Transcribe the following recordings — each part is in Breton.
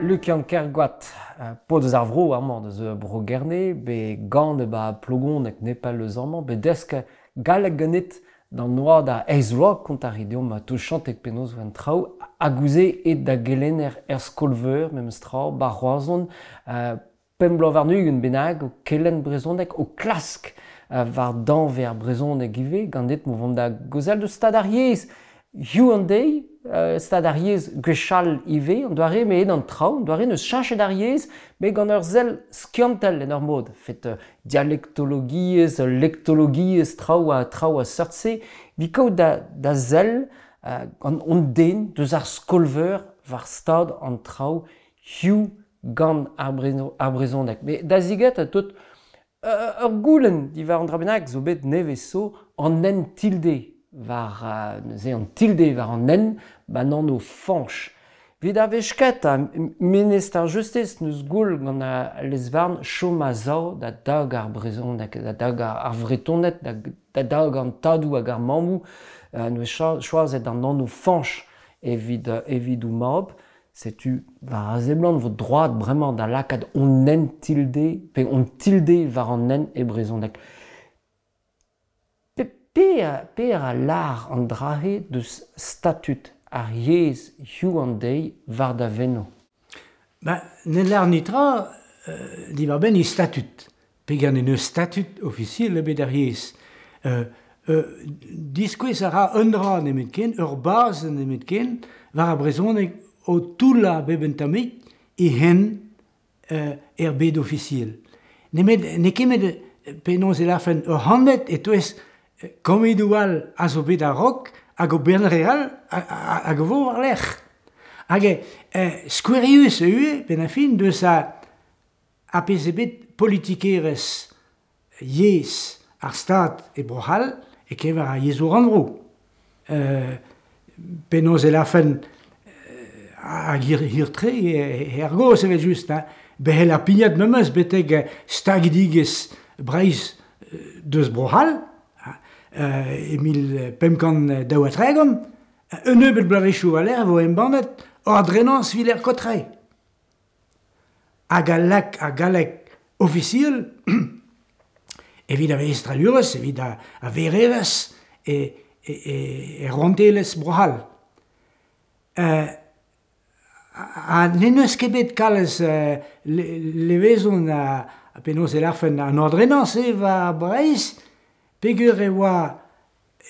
Lukian Kergoat, paotr eus ar vro amañ, deus Bro-Gerne, bet ganet 'ba Plogoneg nepell eus amañ, bet desk galleg ganit d'an oad a eizh vloaz, kontañ a rit deomp touchantek penaos 'oa an traoù, hag ouzh aet da gelenner er skol-veur memes tra, 'ba Roazhon, pemp bloaz warn-ugent bennak o kelenn brezhoneg, o klask war danvez ar brezhoneg ivez, ganit mo vont da gaozeal deus stad ar yezh. Hiziv an deiz, stad ar yezh gwechall ivez, an doare m'eo an traoù, an doare n'eus cheñchet ar yezh, met gant ur sell skiantel en ur mod. Fet dialektologiezh, lektologiezh, traoù ha traoù a seurt-se, evit kaout da sell gant hon den deus ar skol-veur war stad an traoù hiziv gant ar brezhoneg. Met da ziget tout ur goulenn diwar an dra bennak zo bet nevez zo, an hent tilde war neuze an tilde war an hent ba'n anv Fañch. Evit ar wech kentañ, ministr ar Justis n'eus goull gant al lez-varn chom a-sav da dagañ ar brezhoneg, da dagañ ar Vretoned, da dagañ an tadoù hag ar mammoù. N'eus choazet an anv Fañch evit evit o mab. Setu war a seblant vo droad bremañ da lakaat hon hent tilde pe hon tilde war an hent e brezhoneg. Pe a lâr an dra-se deus statud ar yezh hiziv an deiz war da veno? Ba, ne lâr netra diwar-benn he statud. Peger n'en deus statud ofisiel ebet ar yezh. Diskouez a ra un dra nemetken, ur bazenn nemetken, war ar brezhoneg o toullañ bep un tammig e hent er bed ofisiel. Nemet n'eo ket met penaos e lârfen ur c'hantved e-touez kammedoù all a zo bet a-raok hag o bern re all hag a vo war-lerc'h. Hag skouerius eo ivez, benn ar fin, deus ar pezh eo bet politikerezh yezh ar Stad e Bro-C'hall e-keñver ar yezhoù rannvro. Penaos e lârfen hag hir-tre er gaoz evel-just, hein. Bec'hel ar pignat memes betek stagidigezh Breizh deus Bro-C'hall e 1532. Un nebeud bloavezhioù war-lerc'h e vo embannet Ordrenañs Villers-Cotterêts. Hag a lak ar galleg ofisiel evit ar velestradurezh, evit ar vererezh e rouantelezh Bro-C'hall. Ha n'en deus ket bet kalz levezon ha penaos e lârfen an ordrenañs-se war Breizh peogwir e oa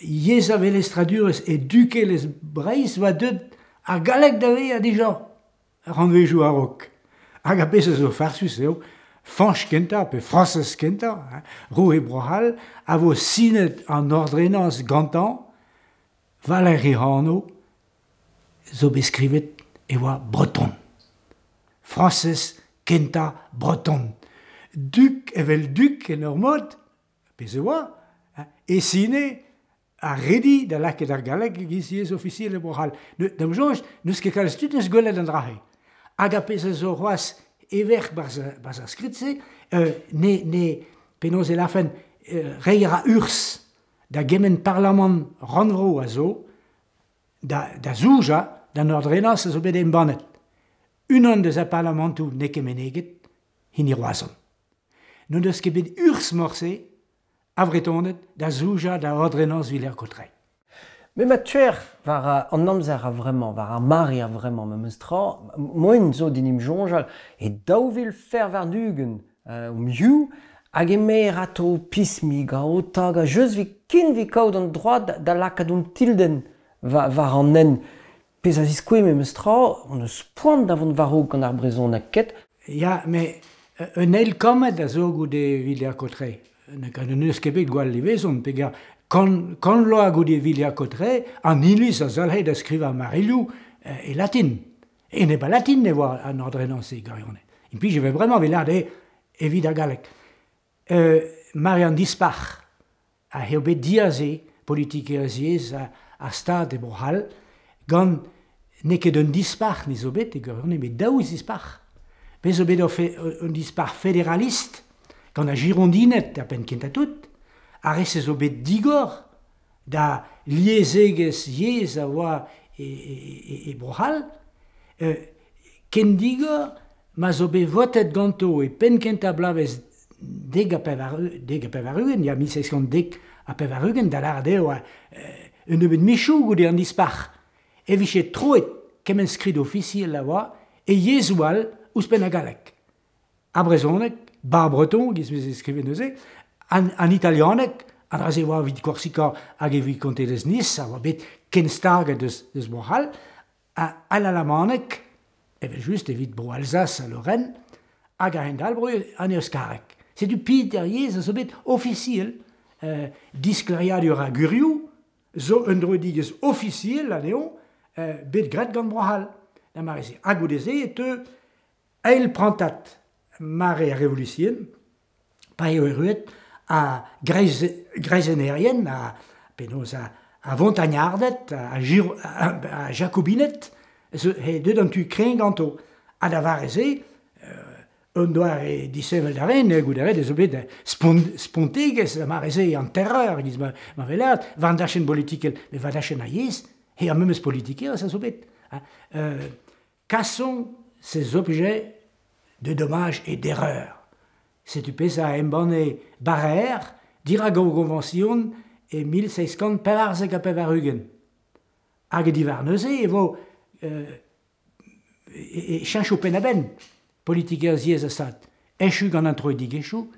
yezh ar velestradurezh e dukelezh Breizh oa deuet ar galleg da vezañ dija rannvezhioù a-raok. Hag ar pezh a zo farsus eo Fañch kentañ pe Frañsez kentañ, roue Bro-C'hall, a vo sinet an ordrenañs gantañ war-lerc'h e anv zo bet skrivet e oa breton. Frañsez kentañ breton. Duk evel duk en ur mod, pezh e oa, e sine ar redi da lakaat ar galleg e-giz yezh ofisiel e Bro-C'hall. D'am soñj, n'eus ket kalz tud eus gwelet an dra-se. Hag ar pezh a zo c'hoazh everk barzh ar skrid-se, ne, ne, penaos e lârfen, reiñ a ra urzh da gement parlamant rannvro a zo da zoujañ d'an ordrenañs a zo bet embannet. Unan deus ar parlamantoù n'eo ket meneget, hini Roazhon. N'o deus ket bet urzh morse a Vretoned da zoujañ da ordrenañs Villers-Cotterêts. Met ma teuer war an amzer a-vremañ, war ar mare a-vremañ memes tra, moaien zo din em soñjal e 2024 omp hiziv hag emaer atao pismigañ, o tagañ, just evit ken evit kaout an droad da lakaat hon tildenn war an hent. Pezh a ziskouez memes tra hon eus poan da vont war-raok gant ar brezhoneg, ket? Ya, met un eil kammed a zo goude Villers-Cotterêts. N'eus ket bet gwall levezon peogwir kant vloaz goude Villers-Cotterêts, an iliz a zalc'he da skrivañ marilhoù e latin. Enep al latin e oa an ordrenañs-se gwirionez. Implij e vez bremañ evit lâret eo evit ar galleg. Mare an Dispac'h a eo bet diaze politikerezh yezh ar Stad e Bro-C'hall gant n'eo ket un dispac'h ne zo bet e gwirionez met daou zispac'h. Bez zo bet un dispac'h federalist gant ar Girondined er penn kentañ tout, ar re-se zo bet digor da liesegezh yezh a oa e Bro-C'hall. Ken digor ma zo bet votet ganto e penn kentañ bloavezh 90, ya 1790, da lâret eo un nebeud michoù goude an Dispac'h, e vije troet kement skrid ofisiel a oa e yezhoù all ouzhpenn ar galleg. Ar brezhoneg, bar breton, giz veze skrivet neuze, an italianeg, an dra-se oa evit Korsika hag evit kontelezh Nice, a oa bet kenstaget deus Bro-C'hall, an alamaneg, evel-just evit Bro-Alsace ha Lorraine, hag a-hend-all bro an euskareg. Setu peder yezh a zo bet ofisiel, disklêriadur ar gwirioù zo un droidigezh ofisiel anezho bet graet gant Bro-C'hall da mare-se. Ha goude-se e teu eil prantad mare ar Revolution, pa eo erruet a greizennerien, a penaos a vontagnarded, a jakobined, he deut an tu kreñv ganto. Ha da vare-se, un doare disheñvel da ren, goude ret ez zo bet spontegezh da mare-se, an terreur, giz ma weler, war an dachenn bolitikel, met war dachenn ar yezh, he ar memes politikerezh a zo bet. Cassons ces objets de dommages et d'erreurs. Setu pezh a embanne Barrère dirak o goñvañsion e 1794. Hag diwar neuze e vo e cheñcho penn-a-benn politikerezh yezh a stad. Echu gant an troidigezhioù,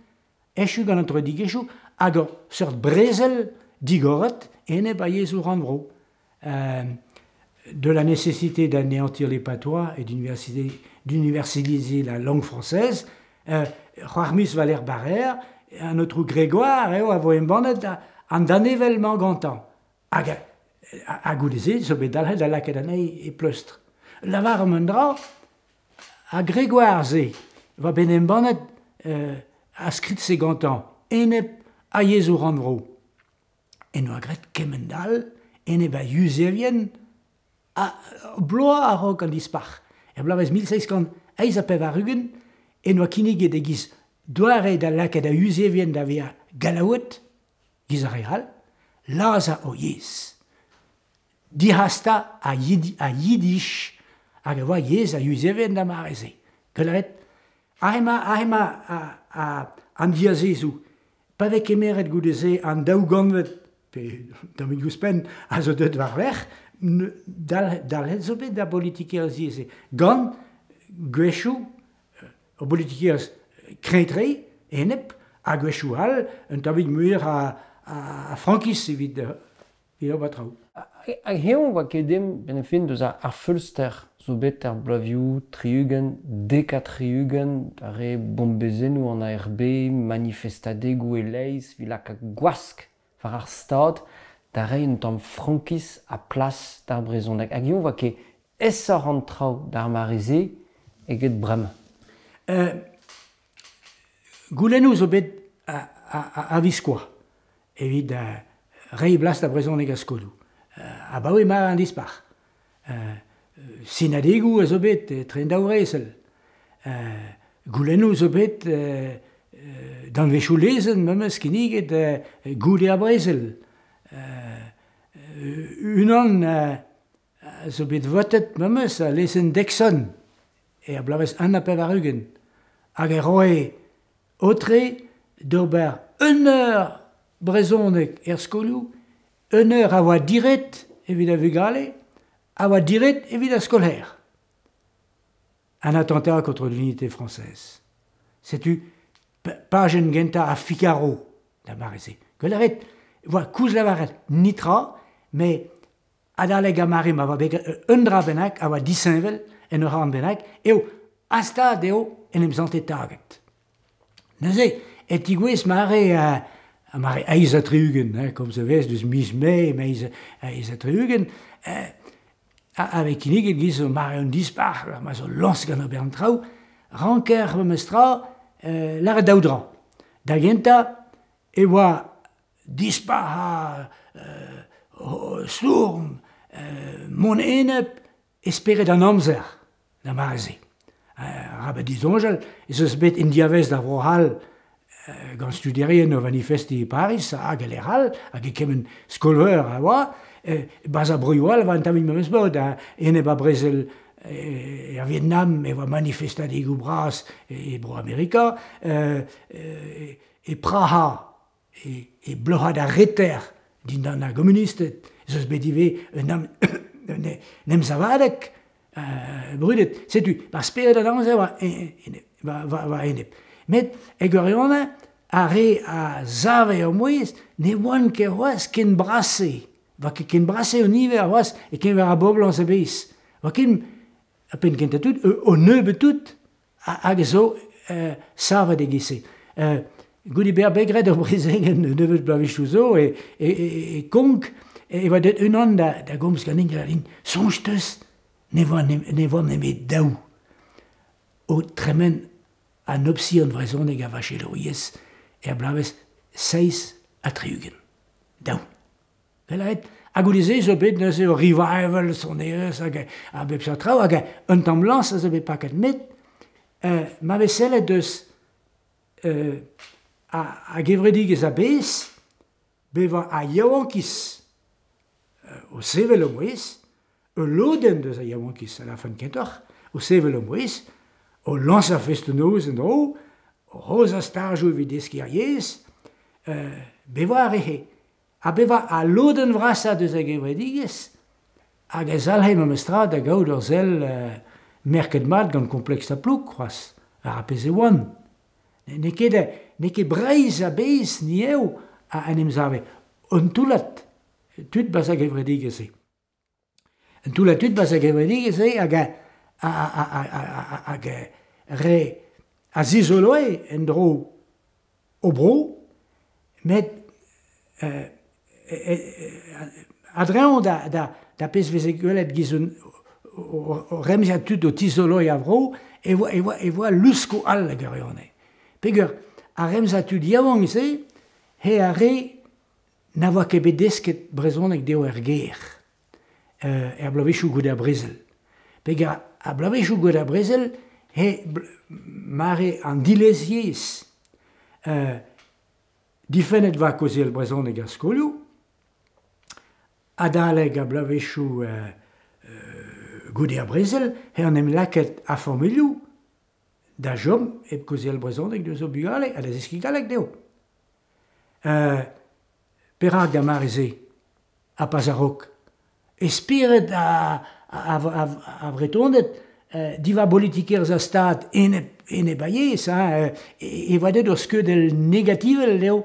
echu gant an troidigezhioù hag ur seurt brezel digoret enep ar yezhoù rannvro. De la nécessité d'anéantir les patois et d'universaliser la langue française, c'hoarmus Valère Barrère, an aotrou Grégoire eo a vo embannet an danevell-mañ gantañ. Hag ha goude-se zo bet dalc'het da lakaat anezhi e pleustr. Lavaromp un dra, ar Grégoire-se oa bet embannet ar skrid-se gantañ enep ar yezhoù rannvro. En doa graet kement-all enep ar Yuzevien ha bloaz a-raok an Dispac'h. Er bloavezh 1788 en doa kinniget e-giz doare da lakaat ar Yuzevien da vezañ Gallaoued, giz ar re all, lazhañ o yezh. Dic'hastañ ar yiddish hag a oa yezh ar Yuzevien d'ar mare-se. Gwelet, aze emañ an diazezoù. Pa vez kemeret goude-se an daou gantved, pe tammig ouzhpenn, a zo deuet war-lerc'h, dalc'het zo bet da bolitikerezh yezh-se. Gant gwechoù ur bolitikerezh kreñv-tre, enep, ha gwechoù all un tammig muioc'h a frankiz evit ober traoù. Hag eñ oa ket dimp benn ar fin deus ar feulster zo bet er bloavezhioù 60, 70, ar re bombezennoù an ARB, manifestadegoù e-leizh evit lakaat gwask war ar Stad da reiñ un tamm frankiz ha plas d'ar brezhoneg. Hag eñ oa ket aesoc'h an traoù d'ar mare-se eget bremañ. Goulennoù zo bet a-viskoazh evit reiñ blas d'ar brezhoneg er skolioù. Abaoe mare an Dispac'h. Sinadegoù a zo bet etre an daou vrezel. Goulennoù zo bet danvezioù lezenn memes kinniget goude ar brezel. Unan a zo bet votet memes, lezenn Deixonne, er bloavezh 81, hag e roe aotre d'ober un eur brezhoneg er skolioù, un eur a oa diret evit ar vugale, a oa diret evit ar skolaer. Un attentat contre l'unité française. Setu pajenn gentañ ar Figaro da mare-se. Gwell a rit, oa koulz lavaret netra, met adalek ar mare ma oa bet un dra bennak a oa disheñvel en ur c'horn bennak, eo astad eo en em sante taget. Neuze, e tigouez mare mare eizh ha tri-ugent, hein, komz a vez deus miz Mae, eizh ha tri-ugent, a vez kinniget giz mare un dispac'h, ma zo lañs gant ober an traoù, ranker memestra lâret daou dra. Da gentañ e oa dispac'h ha stourm, mont enep e spered an amzer da mare-se. Arabat disoñjal ez eus bet en diavaez da Vro-C'hall gant studierien o vanifestiñ e Pariz hag e lec'h all, hag e kement skol-veur a oa, barzh ar broioù all e oa un tammig memes mod, enep ar brezel Er Vietnam e oa manifestadegoù bras e Bro-Amerika, e Praha, e bloc'had ar Reter dindan ar gomunisted, ez eus bet ivez un emsavadeg brudet. Setu, ar spered an amzer war enep. Met e gwirionez, ar re a save o mouezh ne oant ket c'hoazh ken bras-se. Oa ket ken bras-se o niver c'hoazh e-keñver ar boblañs a-bezh. Oa ken, a-benn kentañ tout, o nebeut tout hag a zo savet e-giz-se. Goude bezañ bet graet ur brezegenn un nebeud bloavezhioù zo e Konk e oa deuet unan da gomz ganin da lâret soñj 'teus ne oa ne oa nemet daou o tremen an opsion vrezhonek a vachelouriezh er bloavezh 67. Daou. Lâret ha goude-se zo bet neuze ur revival sonerezh hag a bep seurt traoù hag un tamm lañs a zo bet paket. Met ma vez sellet deus a gevredigezh a-bezh, bevañ ar yaouankiz o sevel o mouezh, ul lodenn deus ar yaouankiz a lârfen kentoc'h, o sevel o mouezh, o lañsañ festoù-noz en-dro, o aozañ stajoù evit deskiñ ar yezh, bevañ a rehe. Ha bevañ al lodenn vrasañ deus ar gevredigezh hag a zalc'he memestra da gaout ur sell merket mat gant kompleks ar plouk c'hoazh, ar pezh e oant. N'eo ket, n'eo ket Breizh a-bezh ni eo a en em save. Un toullad tud 'barzh ar gevredigezh-se. Un toullad tud 'barzh ar gevredigezh-se hag hag re a zizoloe en-dro o bro, met a-dreñv da pezh 'veze gwelet giz un o remziad tud o tizoloiñ ar vro e oa e oa e oa luskoù all a gwirionez. Peogwir ar remziad tud yaouank-se eo ar re na oa ket bet desket brezhoneg dezho er gêr er bloavezhioù goude ar brezel. Peogwir ar bloavezhioù goude ar brezel eo mare an dilez-yezh. Difennet 'oa kaozeal brezhoneg er skolioù, adalek ar bloavezhioù goude ar brezel eo en em lakaet ar familhoù da chom hep kaozeal brezhoneg deus o bugale ha da zeskiñ galleg dezho. Perak d'ar mare-se ha pas a-raok? E spered ar Vretoned diwar bolitikerezh ar Stad enep enep ar yezh hein, e oa deuet ur skeudenn negativel eo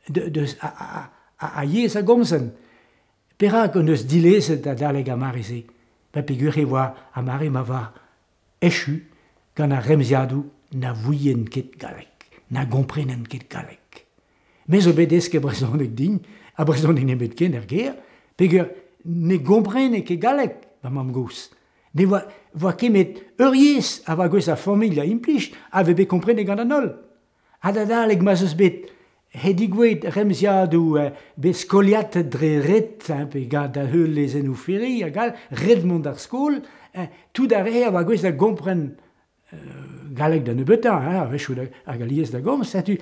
deus ar yezh a gomzen. Perak hon eus dilezet adalek ar mare-se? Pa peogwir e oa ar mare ma oa echu gant ar remziadoù na ouient ket galleg, na gomprenent ket galleg. Me zo bet desket brezhoneg din, ha brezhoneg nemetken er gêr, peogwir ne gomprene ket galleg ma mamm-gozh. Ne oa, oa ket met ur yezh a oa gouest ar familh a implij a vez bet komprenet gant an holl. Ha da adalek ma'z eus bet he digouezhet remziadoù bet skoliatet dre ret, hein, pe gant da heul lezennoù Ferry hag all, ret mont d'ar skol, tout ar re a oa gouest da gompren galleg da nebeutañ, hein, a-wechoù hag alies da gomz, setu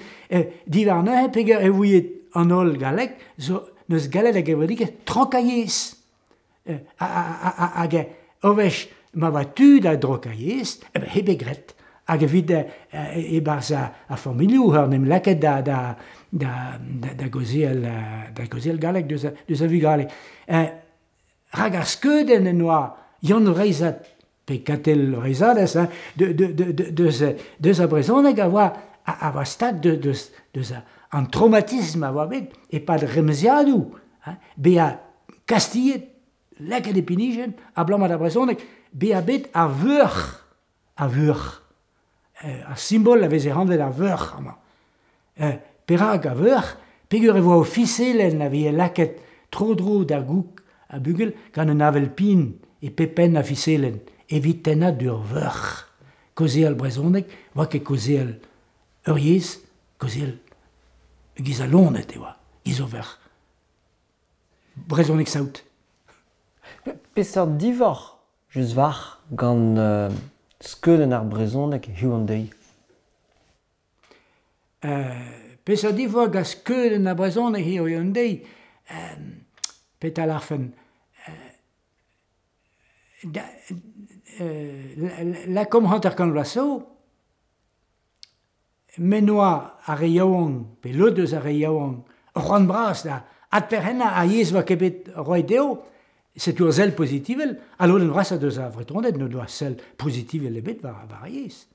diwar neuze peger e ouiet an holl galleg zo n'eus gallet a gevredigezh trokañ yezh. Hag ur wech ma oa tu da drokañ yezh, eh ben, eo bet graet. Hag evit e-barzh ar familhoù en em lakaet da da da da gaozeal da gaozeal galleg deus deus ar vugale. Rak ar skeudenn en doa Yann Vreizhad pe Katell Vreizhadez hein, deus deus ar brezhoneg a oa a oa stag deus deus an traumatisme a oa bet e-pad remziadoù hein, bezañ kastilhet, lakaet e pinijenn abalamour d'ar brezhoneg, bezañ bet ar vuoc'h, ar vuoc'h, ar simbol a veze anvet ar vuoc'h amañ. Perak ar vuoc'h? Peogwir e oa ofiselenn a veze lakaet tro-dro d'ar goûg ar bugel gant un avel-pin e pep penn ar fiselenn evit tennañ d'ur vuoc'h. Kaozeal brezhoneg 'oa ket kaozeal ur yezh, kaozeal giz al loened e oa, giz ur vuoc'h. Brezhoneg saout. Peseurt divoc'h just war gant skeudenn ar brezhoneg hiziv an deiz? Peseurt divoc'h gant skeudenn ar brezhoneg hiziv an deiz? Petra 'lârfen? Da, lakomp 50 vloaz zo, m'en oa ar re yaouank, pe lod eus ar re yaouank, ur c'hoant bras da adperc'hennañ ar yezh oa ket bet roet dezho, setu ur sell pozitivel, ha lodenn vrasañ deus ar Vretoned n'o doa sell pozitivel ebet war ar yezh.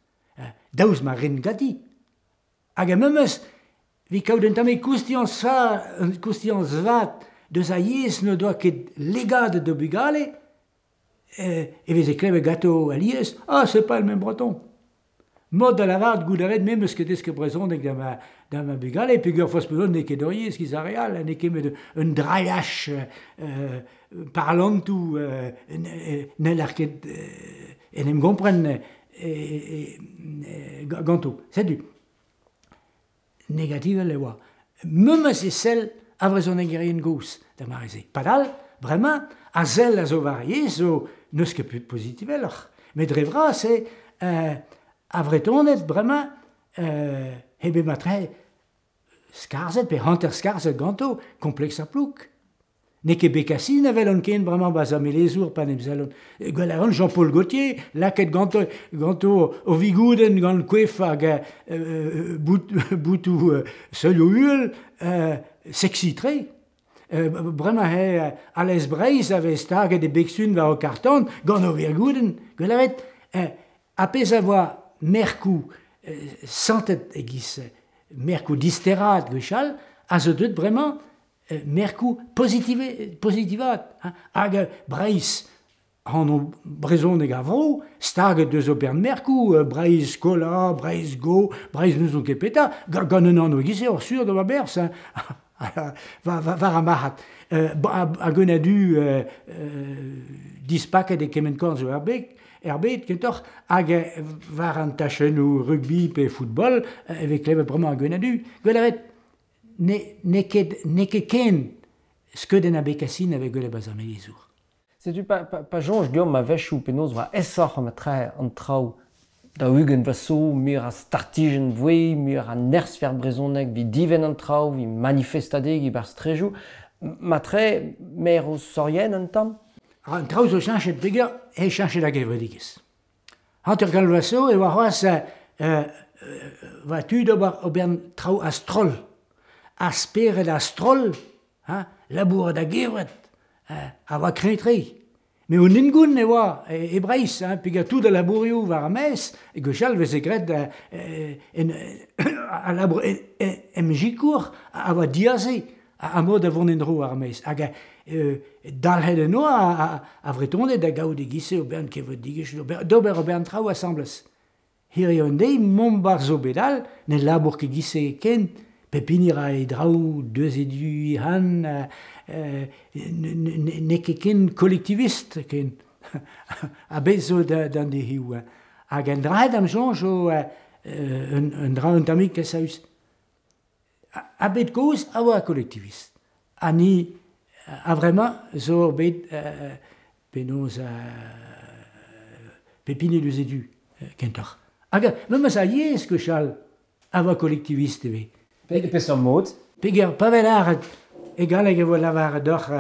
Daoust ma rin ganti. Hag a memes, evit kaout un tammig koustiañs koustiañs vat deus ar yezh n'o doa ket legadet d'o bugale, e veze klevet ganto alies, ah, c'est pas le même breton. Mod da lavaret goût a ret, me 'meus ket desket brezhoneg da ma, da ma bugale, peogwir forzh penaos n'eo ket ur yezh giz ar re all, n'eo ket met un drailhaj parlantoù n'heller ket en em gompren ganto. Setu, negativel e oa. Memes e sell ar vrezhonegerien gozh da mare-se. Padal, bremañ, ar sell a zo war ar yezh zo n'eus ket pozitiveloc'h. Met dre vras eo ar Vretoned bremañ hep emañ-tre skarzhet pe hanter-skarzhet ganto kompleks ar plouk. N'eo ket Bécassine a welont ken bremañ 'barzh ar melezour pa 'n em sellont. Gwell a ran Jean-Paul Gaultier lakaet ganto ganto o vigoudenn gant koef hag bout boutoù seulioù uhel sexy-tre. Bremañ eo Alez Breizh a vez staget e beg-sun war ho karr-tan gant ur virgoudenn. Gwell a ret ar pezh a voa merkoù santet e-giz merkoù disteraat gwechall a zo deuet bremañ merkoù pozitivaat hag Breizh anv brezhoneg ar vro staget deus ober merkoù Breizh Kola, Breizh Go, Breizh n'ouzon ket petra gant un anv e-giz-se oc'h sur d'ober berzh hein war ar marc'had. Hag un a-du dispaket e kement korn zo er beg er bed kentoc'h hag war an tachennoù rugby pe football e vez klevet bremañ hag un a-du. Gwell a ret n'eo ket n'eo ket ken skeudenn ar Bécassine a vez gwelet 'barzh ar melezour. Setu pa, pa, pa soñj deomp a-wechoù penaos 'oa aesoc'h an tra an traoù 40 vloaz zo, muioc'h a startijenn voe, muioc'h a nerzh er brezhoneg evit divenn an traoù, evit manifestadeg e-barzh strejoù. Matre, mer o sorien un tamm? An traoù zo cheñchet peger eo cheñchet ar gevredigezh. 50 vloaz zo e oa c'hoazh oa tu d'ober ober traoù a-stroll. Ar spered a-stroll, ha labourat a-gevret, a oa kreñv-tre. Met un hengoun e oa e Breizh, hein, peogwir tout al labourioù war ar maez, gwechall e veze graet en al labour em sikour a oa diaze ar mod da vont en-dro war ar maez. Hag dalc'het en oa ar Vretoned da gaout e-giz-se o bern kevredigezhioù, d'ober o bern traoù asambles. Hiziv an deiz, mont 'barzh zo bet all, ne labour ket giz-se ken. Pep hini ra e draoù deus e du han, n'eo ket ken kolektivist ken. Ha bet zo d'an dezioù. Hag an dra d'am soñj zo un dra un tammig kasaus. Ha bet kozh a oa kolektivist. Ha ni a-vremañ zo bet penaos pep hini deus e du kentoc'h. Hag memes ar yezh gwechall a oa kolektivist ivez. Pe peseurt mod? Peger pa vez lâret e galleg e vo lavaret deoc'h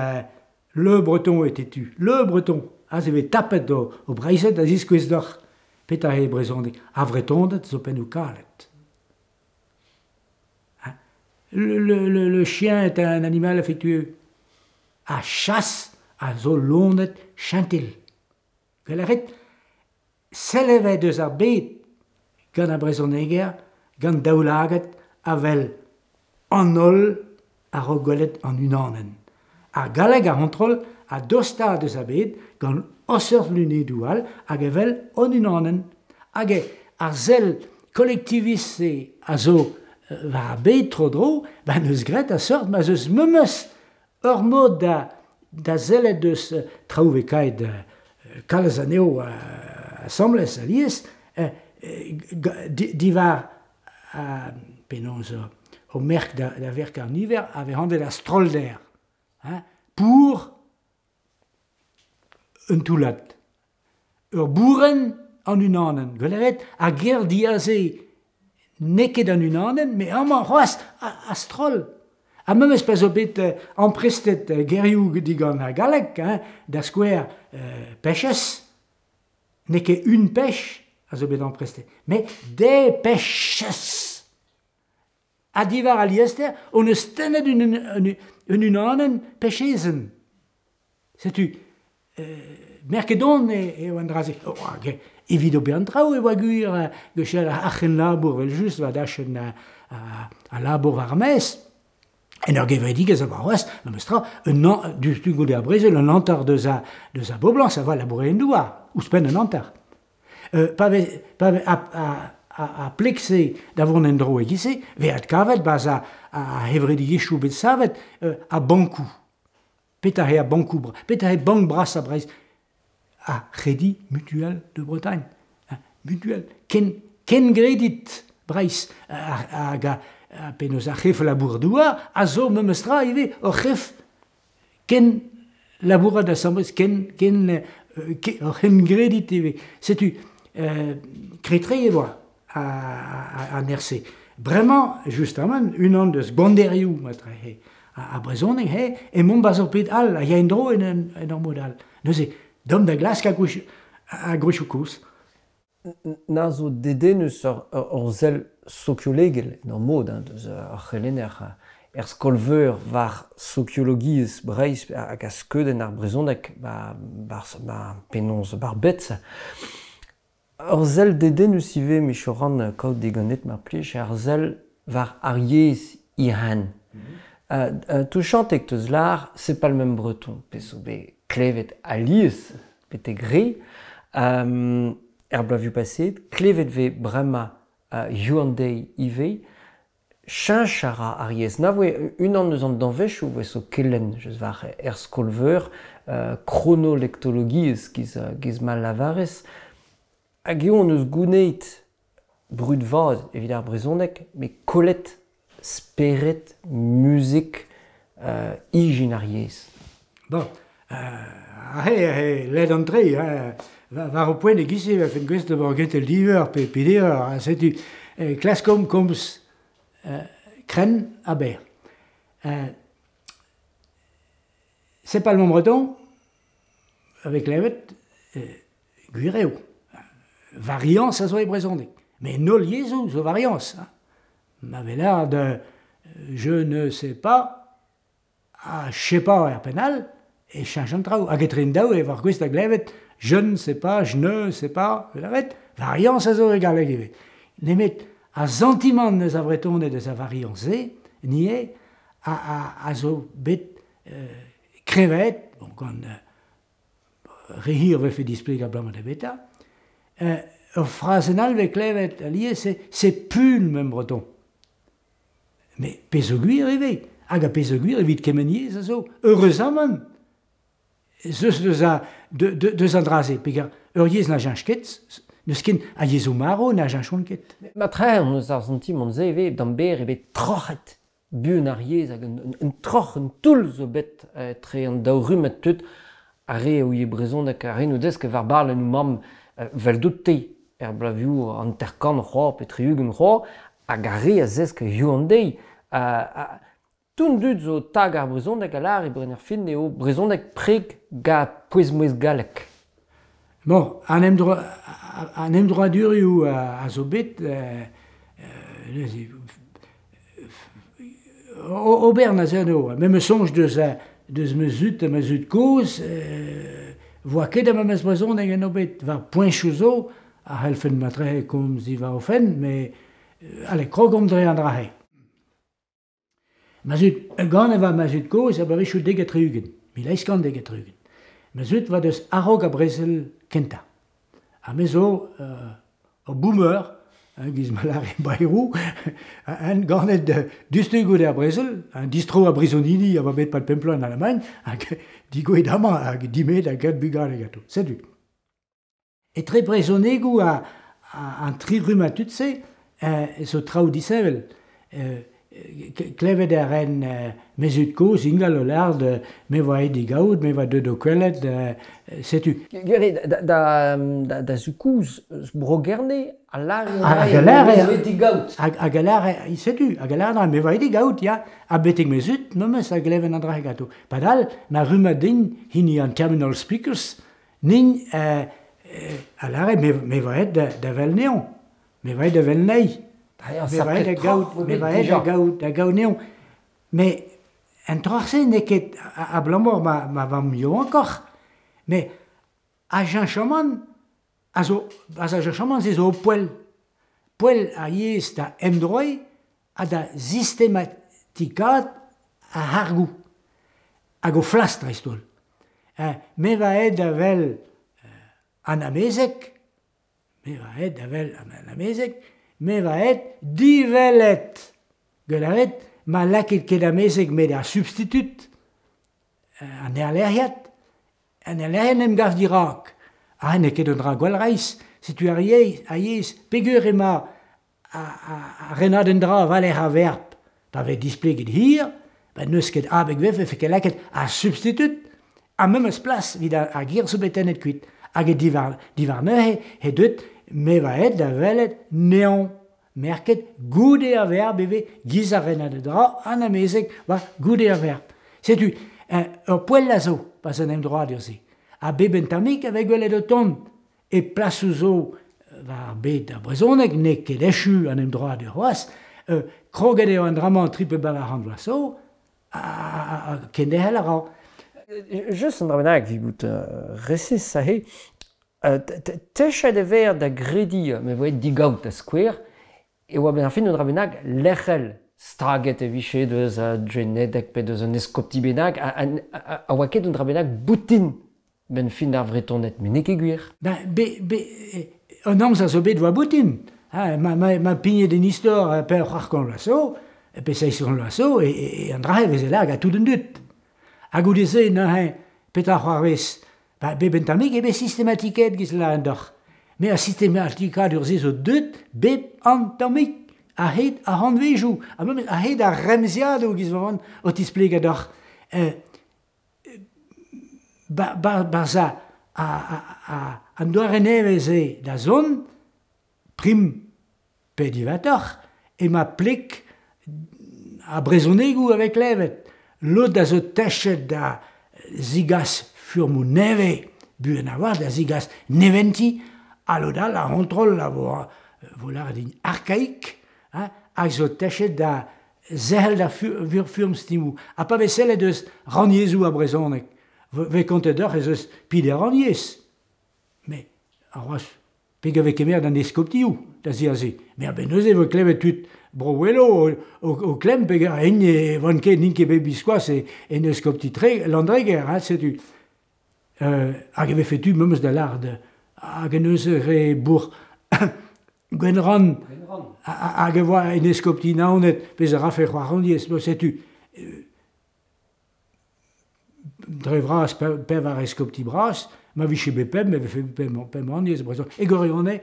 le breton est têtu. Le breton. Aze e vez tapet o Breizhad da ziskouez deoc'h petra eo brezhoneg. Ar Vretoned zo pennoù kalet. Le, le, chien est un animal affectueux. Ar chas a zo loened chentil. Gwell a rit, sell e vez deus ar bed gant ar brezhoneger, gant daoulagad a wel an holl a-raok gwelet an unanenn. Ar galleg ar c'hontrol a dosta deus ar bed gant ur seurt lunedoù all hag e wel an unanenn. Hag ar sell kolektivist-se a zo war ar bed tro-dro, ba n'eus graet a seurt ma 'z eus memes ur mod da, da sellet deus traoù vez kaet kalz anezho asambles alies, diwar penaos o merk da, da verk ar niver a vez anvet ar strollder. Hein, pour un toullad. Ur bourenn an unanenn. Gwelet ar ger diaze n'eo ket an unanenn, met amañ c'hoazh a-stroll. Ha memes pa zo bet amprestet gerioù digant ar galleg, hein, da skouer pêches, n'eo ket une pêche a zo bet amprestet, met des pêches. Ha diwar al liester, hon eus tennet un unanenn pêchezenn. Setu, merket on eo an dra-se. Oh, hag evit ober an traoù e oa gwir gwechall ar c'henlabour evel-just war dachenn al labour war ar maez. En ur gevredigezh a oa c'hoazh, memes tra, un an, diouzhtu goude ar brezel, un hanter deus a, deus a boblañs a oa labourer en douar, ouzhpenn un hanter. Pa vez, pa vez, a, a, a, a pleg-se da vont en-dro e-giz-se, vez adkavet 'barzh ar c'hevredigezhioù bet savet a bankoù. Petra eo ar bankoù petra eo bank brasañ Breizh? Ar Crédit Mutuel de Bretagne. Mutuel. Ken, kengredit Breizh hag penaos ar c'hef labour-douar a zo memes tra ivez ur c'hef ken labourat asambles, ken, ken, ur c'hengredit ivez. Setu, kretre e oa an RC. Bremañ, justamant, unan deus gwanderioù matre ar brezhoneg he, emaomp 'barzh ur bed all a ya en-dro en ur mod all. Neuze, deomp da glask ar gwechioù kozh. Na zo dedennus ur sell sokiolegel en ur mod hein, deus ar c'helenner er skol-veur war sokiologiezh Breizh hag a skeudenn ar brezhoneg ba, ba, penaos bar bet. Ur sell dedennus ivez, Michoran, kaout diganet mar plij, ar sell war ar yezh Iran. Touchant eo teus lâr, c'est pas le même breton, pezh zo bet klevet alies betek re. Er bloavezhioù paseet, klevet vez bremañ hiziv an deiz ivez, cheñch a ra ar yezh. Na voe unan eus an danvezioù voe zo kelenn just war er skol-veur, kronolektologiezh giz, giz ma lavarez. Hag eo hon eus gouneit brud vat evit ar brezhoneg, met kollet spered, muzik, ijin ar yezh. Bon, aze eo ledan-tre, hein. War ho poent e-giz-se e vefen gouest d'ober gentel diveur pe peder ha setu klaskomp komz krenn ha berr. C'est pas le même breton, avec klevet, gwir eo. Variañs a zo e brezhoneg. Met en holl yezhoù zo variañs. Hein. Ma vez lâret je ne sais pas ha je sais pas er penn all, e cheñch an traoù. Hag etre an daou e war gouest da glevet je ne sais pas, je ne sais pas, lâret, variañs a zo e galleg ivez. Nemet ar santimant eus ar Vretoned eus ar variañs-se, ni eo, a zo bet kreñvaet, bon, gant re hir vefe displegañ abalamour da beta, ur frazenn all vez klevet alies, c'est plus le même breton. Mais pezh zo gwir ivez, hag ar pezh zo gwir evit kement yezh a zo, heureuzamant, ez eus deus, a, de, de, deus an dra-se, peger ur yezh na cheñch ket, n'eus ken a yezhoù marv na cheñchont ket. Ma tre hon eus ar santimant-se ivez, d'an berr eo bet troc'het buan ar yezh hag un troc'h, un toull zo bet etre an daou rummad tud, ar re a ouie brezhoneg, ar re n'o deus ket war barlennoù mamm 'veldout-te er bloavezhioù hanter-kant c'hoazh pe 60 c'hoazh, hag ar re a zesk hiziv an deiz. Tout an dud zo tag ar brezhoneg a lâr e brenn ar fin eo brezhoneg preg gant pouez-mouezh gallek. Bon, an emdroadurioù a zo bet neuze ober na eo. Me 'meus soñj deus deus ma zud ha ma zud-kozh 'voa ket ar memes brezhoneg en o bet. War poenchoù zo a c'hellfen matre komz diwar o fenn, met allez, krogomp dre an dra-se. Ma zud, ganet 'oa ma zud-kozh a bloavezhioù 70, 1870. Ma zud 'oa deus a-raok ar brezel kentañ. Ha me zo ur boomer, giz ma lâre Bayrou, en ganet diouzhtu goude ar brezel, un distro a brizonidi a oa bet pad pemp bloaz en Alamagn, hag digouezhet amañ hag dimet hag graet bugale ganto. Setu. Etre brezhonegoù an tri rummad tud-se zo traoù disheñvel. Klevet a ren me zud-kozh ingal o lâret me 'oa aet da gaout, me 'oa deuet d'ho kwelet, setu. Gwir eo, da zud-kozh eus Bro-Gerne a lâre Hag a lâre... me 'oa aet da gaout. Hag a lâre, setu, hag a lâre me 'oa aet da gaout, ya. Ha betek me zud memes a gleven an dra-se ganto. Padal, ma rummad din, hini an terminal speakers, nin a lâre me 'oa aet da wel 'nezhañ, me 'oa aet da wel 'nezhi. Me 'oa aet da gaout, me 'oa aet da gaout 'nezhañ. Met an troc'h-se n'eo ket abalamour ma vamm yaouankoc'h, met ar cheñchamant a zo, ar cheñchamant-se zo poell. Poell ar yezh da emdroiñ ha da sistematikaat ar c'hargoù hag o flas dreist-holl. Me 'oa aet da wel an amezeg, me 'oa aet da wel an amezeg, me 'oa aet diwelet. Gwell a ret, ma lakit ket amezeg met ar substitut, an erlec'hiad, an erlec'hiad en em gav dirak. Ha n'eo ket un dra gwall reizh. Setu ar yezh, peger emañ ar renadenn dra war-lerc'h ar verb. Pa vez displeget hir, ba n'eus ket abeg 'vefe ket lakaet ar substitut ar memes plas evit ar ger zo bet tennet kuit. Hag e diwar neuze he deut me 'oa aet da welet 'nezhañ merket goude ar verb e vez giz ar renadenn dra an amezeg war goude ar verb. Setu ur poell a zo pa 'z en emdroadur-se. Ha bep un tammig a vez gwelet o tont e plasoù zo war ar bed ar brezhoneg n'eo ket echu an emdroadur c'hoazh. Kroget eo an dra-mañ tri pe bevar c'hant vloaz zo ha kenderc'hel a ra. Just un dra bennak evit bout resis aze. Techet e vez da grediñ ma voe digaout da skouer e oa benn ar fin un dra bennak lec'hel. Staget e vije deus Drenedeg pe deus un eskopti bennak a oa ket un dra bennak boutin benn fin ar Vretoned, met n'eo ket gwir. Ben, be, un amzer zo bet oa boutin. Ha, ma pignet en istor pe c'hwec'h kant vloaz zo, pe seizh kant vloaz zo, e an dra-se veze lâret gant tout an dud. Ha goude-se neuze, petra c'hoarvez? Ba, bep un tammig eo bet sistematikaet giz lâret deoc'h. Met ar sistematikadur-se zo deut bep an tammig a-hed ar c'hantvejoù, ha memes a-hed ar remziadoù giz ma o tisplegañ deoc'h. Barzh an doare nevez-se da zont, prim pe diwezhatoc'h, emañ pleg ar brezhonegoù a vez klevet. Lod a zo techet da zigas furmoù nevez, buan a-walc'h da zigas neventi, ha lod all ar c'hontrol a vo lâret din arkaik, hag zo techet da zerc'hel da furm-stummoù. Ha pa vez sellet eus rannyezhoù ar brezhoneg, vez kontet deoc'h ez eus peder rannyezh. Met ar c'hoazh peg a vez kemeret an eskoptioù da ziaze. Met a-benn neuze e vo klevet tud Bro-Ouelo o klemm peger int e van ket n'int ket bet biskoazh en eskopti Landreger, hein, setu. Hag e vefe tu memes da lâret hag en deus re bourc'h Gwenrann hag e oa en eskopti Naoned pezh a rafe c'hoaroniezh, setu. Dre vras pevar eskopti bras, ma vije bet pemp e vefe pemp rannyezh brezhoneg. E gwirionez,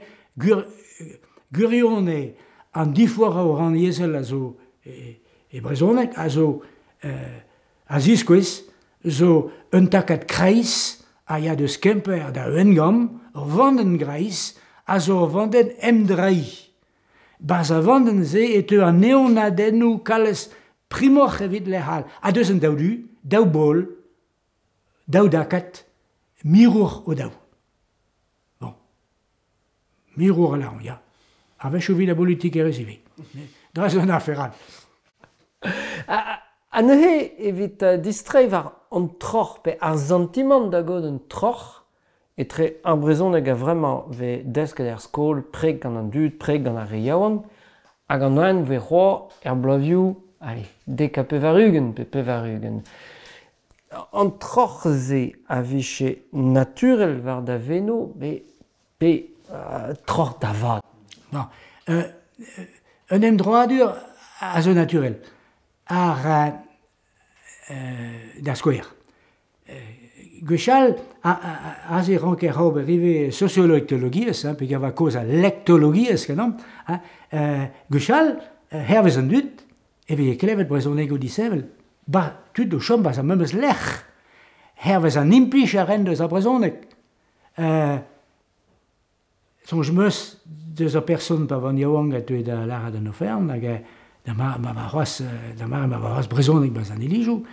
gwirionez an diforc'h rannyezhel a zo e brezhoneg a zo a ziskouez zo un takad kreiz a ya deus Kemper da Wengamp, ur vandenn greiz a zo ur vandenn emdreiñ. Barzh ar vandenn-se e teu an eeunadennoù kalz primoc'h evit lec'h all. Ha deus an daou du, daou bol, daou dakad, mirour o-daou. Bon. Mirour a lâran, ya. A-wechoù evit ar bolitikerezh ivez. Dra zo un afer all. Ha neuze evit distreiñ war an troc'h pe ar santimant da gaout un troc'h etre ar brezhoneg a-vremañ 'vez desket er skol, preg gant an dud, preg gant ar re yaouank, hag an oan 'vez c'hoazh er bloavezhioù, allez, 90 pe 80. An troc'h-se a vije naturel war da veno pe troc'h da vat. Bon, un emdroadur a zo naturel. Ar da skouer. Gwechall, aze e ranker ober ivez sosiolektologiezh, hein, peogwir e oa kaoz a lektologiezh ganeomp, hein. Gwechall, hervez an dud, e veze klevet brezhonegoù disheñvel. Ba tud o chom 'barzh ar memes lec'h, hervez an implij a ren deus ar brezhoneg. Soñj 'm eus deus ur person pa oan yaouank a teue da lâret an oferenn hag da ma ma oa c'hoazh da mare ma oa c'hoazh brezhoneg 'barzh an ilizoù,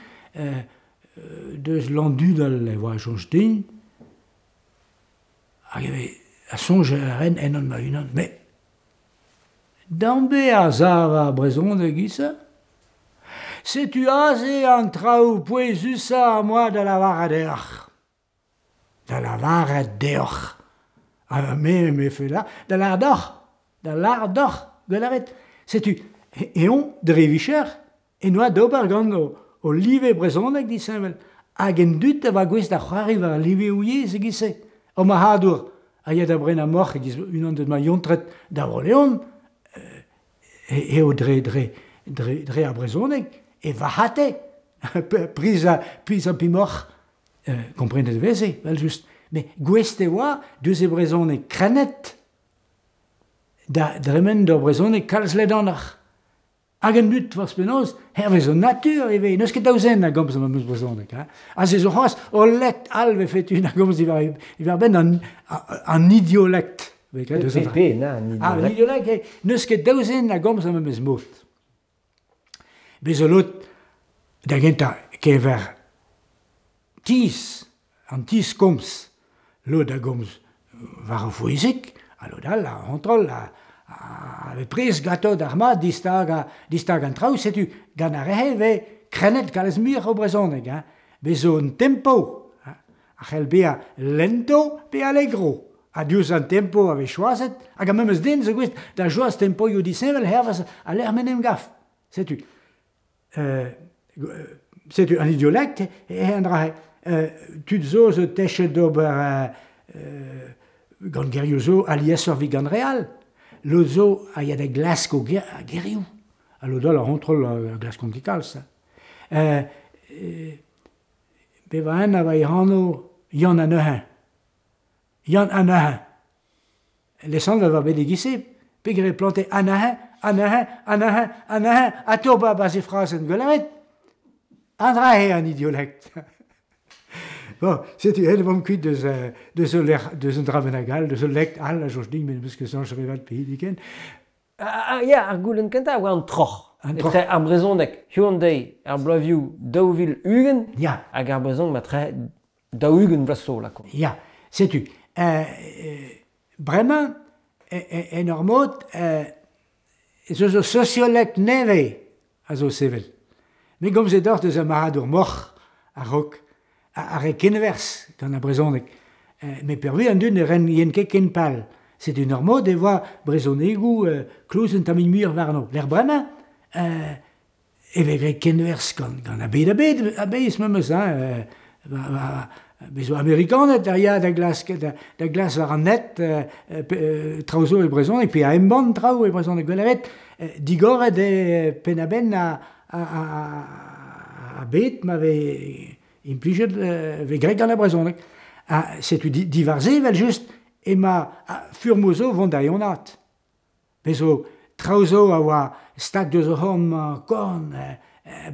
deus Landudal e oa soñj din, hag e vez a soñj a ren ennon ma-unan, met dambe a sav ar brezhoneg e-giz-se? Setu aze an traoù pouezusañ am boa da lavaret deoc'h. Da lavaret deoc'h. Ha me me fell da da lâret deoc'h, da lâret deoc'h, gwell a rit. Setu eñ dre vicher en doa d'ober gant o live brezhoneg disheñvel. Hag en dud a oa gouest da c'hoari war al liveoù yezh e-giz-se. Ur marc'hadour a ya da brenañ moc'h e-giz unan deus ma yontred da Vro-Leon eo dre dre dre dre ar brezhoneg e varc'hate priz priz ar pemoc'h. Komprenet e veze, evel-just. Met gouest e oa diouzh e brezhoneg krennet da dremen d'ur brezhoneg kalz ledanoc'h. Hag an dud, forzh penaos, hervez an natur e vez. N'eus ket daou zen a gomz ar memes brezhoneg. Hein. Aze zo c'hoazh ul lekt all 'vefe tu da gomz diwar-benn an, an idiolekt. Pe, na, an idiolekt. An idiolekt, n'eus ket daou zen a gomz ar memes mod. Bez zo lod, da gentañ, keñver tizh, an tizh komz. Lod a gomz war o fouezig, ha lod all ar c'hontrol a a vez prest ganto d'ar mat distagañ distagañ an traoù. Setu gant ar re-se e vez krennet kalz muioc'h o brezhoneg. Hein. Bez zo un tempo hein, a c'hell bezañ lento pe allegro. Ha diouzh an tempo a vez choazet, hag ar memes den zo gouest da choaz tempoioù disheñvel hervez al lec'h m'en em gav. Setu setu an idiolekt eo an dra-se. Tud zo zo techet d'ober gant gerioù zo aliesoc'h evit gant re all. Lod zo a ya da glask o gerioù. Ha lod all ar c'hontrol a glaskont ket kalz. Bevañ a oa e anv Yann Anezhañ. Yann Anezhañ. Lesanvet e oa bet e-giz-se peogwir e plante anezhañ, anezhañ, anezhañ, anezhañ, atav 'barzh e frazenn gwelet. An dra-se an idiolekt. Bon, setu aet e oamp kuit deus deus ul lec'h, deus un dra bennak all, deus ul lekt all a soñj din, met n'em eus ket soñj re vat pehini ken. Ah, ya, ar goulenn kentañ a oa an troc'h. An troc'h. Etre ar brezhoneg hiziv-an-deiz er bloavezhioù 2020 Ya. hag ar brezhoneg matre 40 vloaz zo, lakaomp. Ya, setu. Bremañ, en ur mod, ez eus ur sosiolekt nevez a zo sevel. Me gomze deoc'h deus ar marc'hadour moc'h a-raok, ar re kenwerzh gant ar brezhoneg. Met peurvuiañ an dud ne ren ket ken pal. Setu en ur mod e oa brezhonegoù kloz un tammig muioc'h warno. Lec'h bremañ e vez graet kenwerzh gant gant ar bed a-bed a-bezh memes hein. Bez zo Amerikaned a ya da glask da, da glask war an net traoù zo e brezhoneg pe a embann traoù e brezhoneg gwell digoret eo penn-a-benn a, a, a, a bed ma vez implijet vez graet gant ar brezhoneg. Ha setu diwar-se evel-just emañ furmoù zo vont da eonaat. Bez zo traoù zo a oa stag deus o c'horn-mañ korn,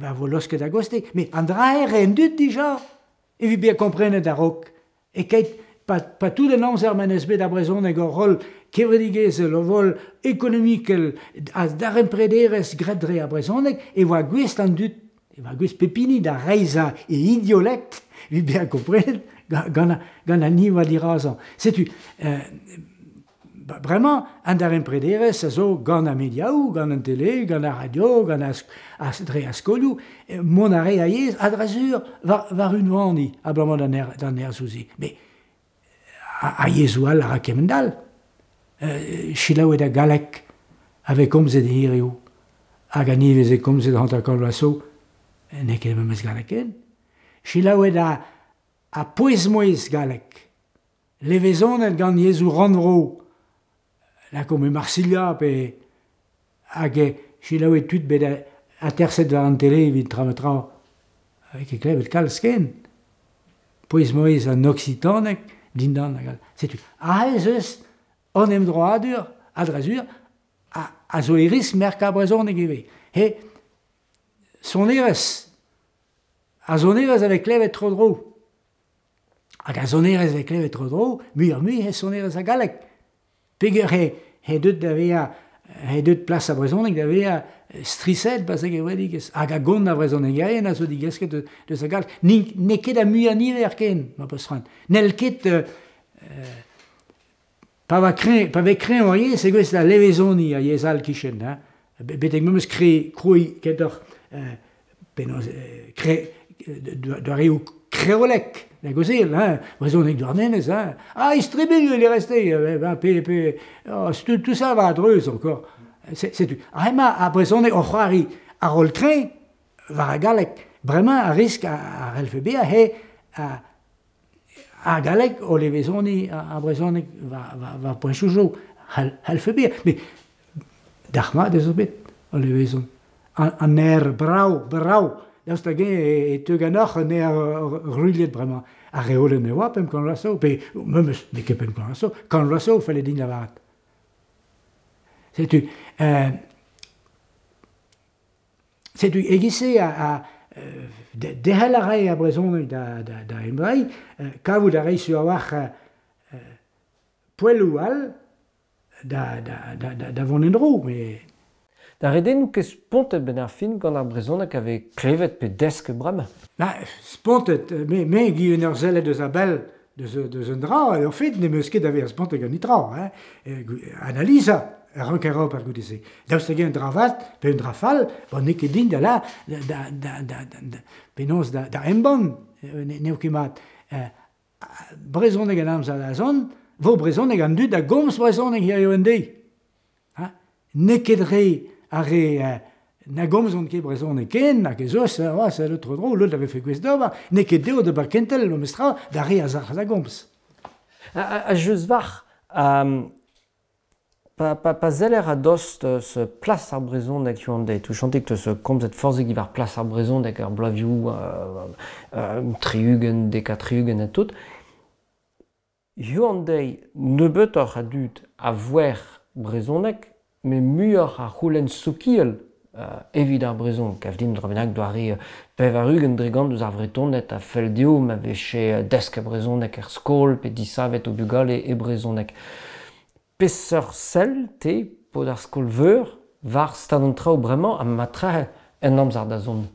ba vo laosket a-gostez. Met an dra-se 'rae an dud dija evit bezañ komprenet a-raok. E-keit pa, pa tout an amzer ma n'eus bet ar brezhoneg ur roll kevredigezhel, ur roll ekonomikel ha daremprederezh graet dre ar brezhoneg, e oa gouest an dud, e oa gouest pep hini da reizhañ e idiolekt evit bezañ komprenet gant, gant an hini a oa dirazañ. Setu, Bremañ, an daremprederezh a zo gant ar mediaoù, gant an tele, gant ar radio, gant ar, dre ar skolioù, mont a rae a-yezh, a-dra-sur, war, war unvaniñ abalamour d'an nerzhoù-se. Met ar yezhoù all a ra kement-all. Selaouet ar galleg a vez komzet hiriv, hag an hini veze komzet 50 vloaz zo, n'eo ket memes galleg ken. Selaouet ar pouez-mouezh galleg. Levezonet gant yezhoù rannvro, lakaomp e Marsilha pe hag selaouet tud bet aterset war an tele evit tra ma tra, vez ket klevet kalz ken. Pouez-mouezh an oksitaneg dindan hag all. Setu aze ez eus an emdroadur, a-dra-sur, a zo e riskl merkañ brezhoneg ivez. He Sonerezh. Ar sonerezh a vez klevet tro-dro. Hag ar sonerezh a vez klevet tro-dro, muioc'h-mui he sonerezh a galleg. Peger he deut da vezañ, he deut plas ar brezhoneg da vezañ striset 'ba se gevredigezh. Hag a gont ar vrezhonegerien a zo digesket deus ar galleg. N'eo ket ar muiañ niver ken, ma peus c'hoant. N'hell ket pa va kreñv, pa vez kreñv ar yezh, e gouest da levezoniñ ar yezh all kichen. Hein. Betek memes krouiñ kentoc'h penaos doareoù kreolek da gaozeal, hein, brezhoneg Douarnenez, hein. Ah, istribilh il est resté, ben, pe, oh, tout ça va a-dreuz encore. Setu. Ha hemañ ar brezhoneg o c'hoari ar roll kreñv war ar galleg. Bremañ ar risk a c'hellfe bezañ he ar galleg o levezoniñ ar brezhoneg war poentoù zo. C'hellfe bezañ. Met dalc'hmat ez eus bet o levezon. An aer brav, brav. Daoust hag-eñ e teu ganeoc'h un aer ruilhet bremañ? Ar reolenn e oa 500 vloaz zo, pe memes n'eo ket 500 vloaz zo, 100 vloaz zo felle din lavaret. Setu, setu e-giz-se a derc'hel a rae ar brezhoneg da emdreiñ, kavout a rae sur a-walc'h poelloù all da vont en-dro. Mais... Da redennoù ket spontet benn ar fin gant ar brezhoneg a vez klevet pe desket bremañ? Ba, spontet, me gi en ur sellet eus a-bell deus un dra, en fait n'em eus ket da vezañ spontet gant netra. Hein. Analizañ a ranker ober goude-se. Daoust hag-eñ un dra vat pe un dra fall, bon, n'eo ket din da la, da, da, da, da, penaos da embann, n'eo ket mat. Brezhoneg an amzer da zont, vo brezhoneg an dud a gomz brezhoneg hiziv en deiz. Ha? N'eo ket re ar re na gomzont ket brezhoneg ken, hag ez eus, oh, c'est le tro-dro, lod a vefe gouest d'ober, n'eo ket dezho d'ober kentel, memestra, d'ar re a zalc'h da gomz. Ha just war, pa zeller a-dost eus plas ar brezhoneg hiziv an deiz, touchantik eus komzet forzhik diwar plas ar brezhoneg er bloavezhioù 60, 70 ha tout, hiziv an deiz nebeutoc'h a dud a voer brezhoneg, met muioc'h a c'houlenn sokial evit ar brezhoneg. Kav din dra bennak doare 80% eus ar Vretoned a fell dezho ma vefe desket brezhoneg er skol pe disavet o bugale e brezhoneg. Peseurt sell te, paotr ar skol-veur, war stad an traoù bremañ ha matrehe en amzer da zont?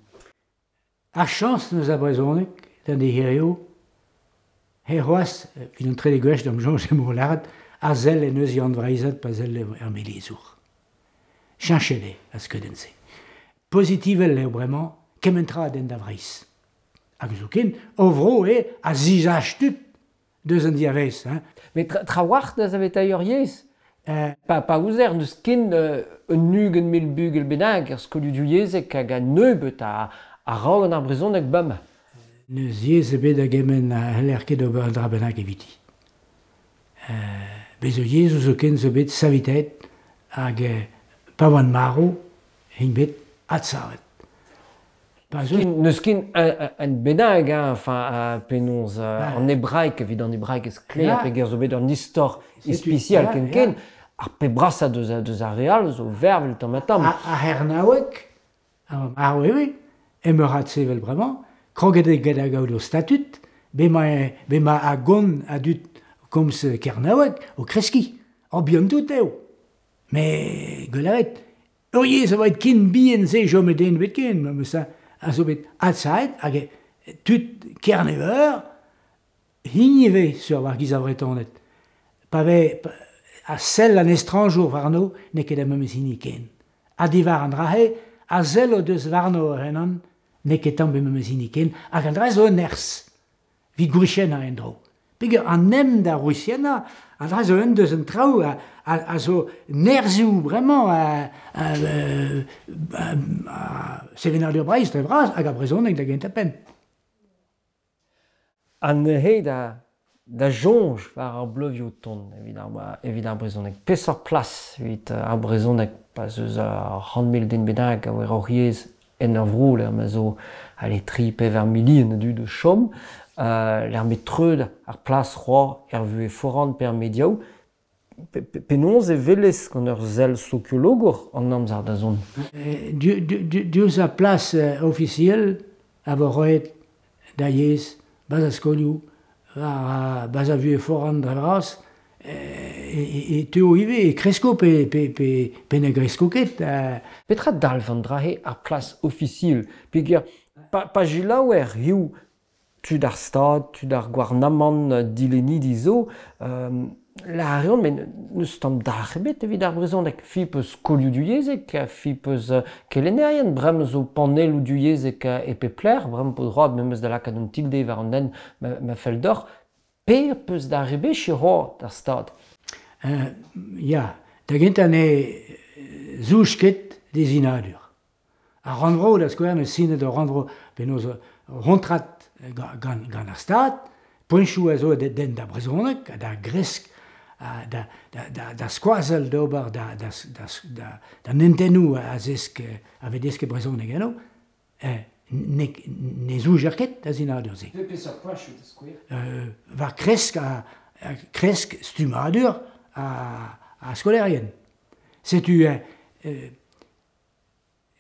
Ar chañs n'eus ar brezhoneg d'an deiz hiziv, he c'hoazh, evit an trede gwech d'am soñj emañ o lâret, a sell en deus Yann Vreizhad pa sell er melezour. Cheñchet eo ar skeudenn-se. Pozitivel eo bremañ kement tra a denn da Vreizh. Hag zoken, o vro eo a zisach tud deus an diavaez. Hein. Met trawalc'h da saveteiñ ur yezh. Pa ouzer n'eus ken un 20 000 bugel bennak er skolioù divyezhek hag a nebeut a ra gant ar brezhoneg bremañ. N'eus yezh ebet a gement a c'heller ket ober un dra bennak eviti. Bez zo yezhoù zoken zo bet savetaet hag pa oant marv int bet adsavet. N'eus ket un bennak, hein, enfin, penaos an hebraeg, evit an hebraeg ez sklaer peger zo bet un istor ispisial ken-ken, ar pep brasañ deus ar re all zo vervel tamm-ha-tamm. Ar c'hernaoueg, ar oui, emeur adsevel bremañ, kroget eo get a gaout o statud, bemañ a gont a dud komz kernaoueg o kreskiñ, o bihan-tout eo. Met gwell ur yezh a oa ken bihan-se chom den ebet ken, memes a zo bet adsavet hag tud Kerne-Veur hini ivez sur war giz ar Vretoned. Pa vez a sell an estrañjour warno n'eo ket ar memes hini ken. Ha diwar an dra-se, a sell o deus warno o-unan n'eo ket tamm memes hini ken, hag an dra zo un nerzh evit gwriziennañ en-dro. Peogwir an hent da wriziennañ, an dra zo un deus an traoù a zo nerzhioù bremañ a sevenadur Breizh dre vras hag ar brezhoneg da gentañ-penn. Ha neuze da soñj war ar bleuvioù tont evit ar brezhoneg. Peseurt plas evit ar brezhoneg pa 'z eus ur 100 000 den bennak a oar hor yezh en ur vro lec'h ma zo ale 3-4 milion a dud o chom, lec'h ma treud ar plas c'hoazh er vuhez foran pe er mediaoù. Penaos e welez gant ur sell sokiologour an amzer da zont? Diouzh ar plas ofisiel a vo roet da yezh, bas ar skolioù, war bas ar vuhez foran dre vras, e teuo ivez, e kresko pe ne gresko ket. Petra dalv an dra-se ar plas ofisiel? Peogwir pa selaouer hiziv tud ar Stad, tud ar gouarnamant, dilennidi zo, lâr a reont met n'eus tamm dalc'h ebet evit ar brezhoneg. Fi peus skolioù divyezhek, fi peus kelennerien, bremañ zo panelloù divyezhek e pep lec'h, bremañ po droad memes da lakaat un tilde war an hent ma fell deoc'h. Per peus da rebechiñ c'hoazh d'ar Stad? Ya, da gentañ ne zouj ket d'e sinadur. Ar rannvro, da skouer, neus sinet ur rannvro penaos ur c'hontrad gant ar Stad, poentoù a zo da denn d'ar brezhoneg ha da gresk da skoazell d'ober d'an hentennoù a zesk a vez desket brezhoneg eno, ne zoujer ket da sinadur-se. Peseurt poentoù da skouer? War kresk a kresk stummadur a skolaerien. Setu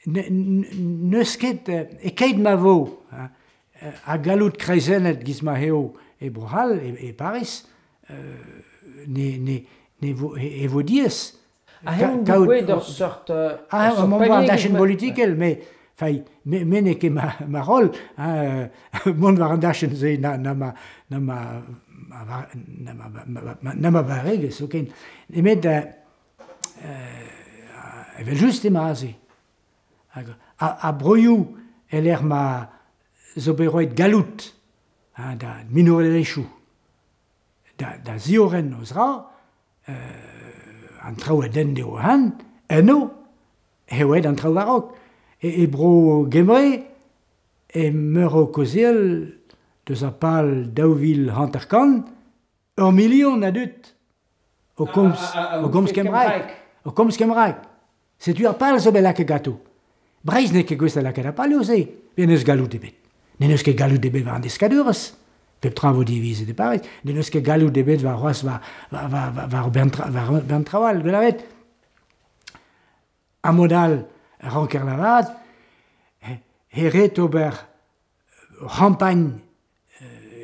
n'eus ket e-keit ma vo a galloud kreizennet giz ma eo e Bro-C'hall, e Paris, ne vo e vo diaes. Ha heñ degouezhet ur seurt Ah, mont war an dachenn bolitikel, met fai, me n'eo ket ma roll, hein, mont war an dachenn-se na ma na ma na ma barregezh zoken. Nemet evel-just emañ aze. Hag ar broioù e-lec'h ma zo bet roet galloud hein, da minorelezhioù da ziorren o zra, an traoù a denn dezho han, eno eo aet an traoù war-raok. E bro Gembre emeur o kaozeal deus ar pal 2050, ur milion a dud o komz, o komz kembraeg. O komz kembraeg. Setu ar pal zo bet lakaet ganto. Breizh n'eo ket gouest da lakaat ar palioù-se, pe n'eus galloud ebet. N'en eus ket galloud ebet war an deskadurezh. Pep tra vo divizet e Paris. N'en eus ket galloud ebet war c'hoazh war bern traoù all, gwell a ret. Ha mod all, ranker lavaret, he ret ober ur c'hampagn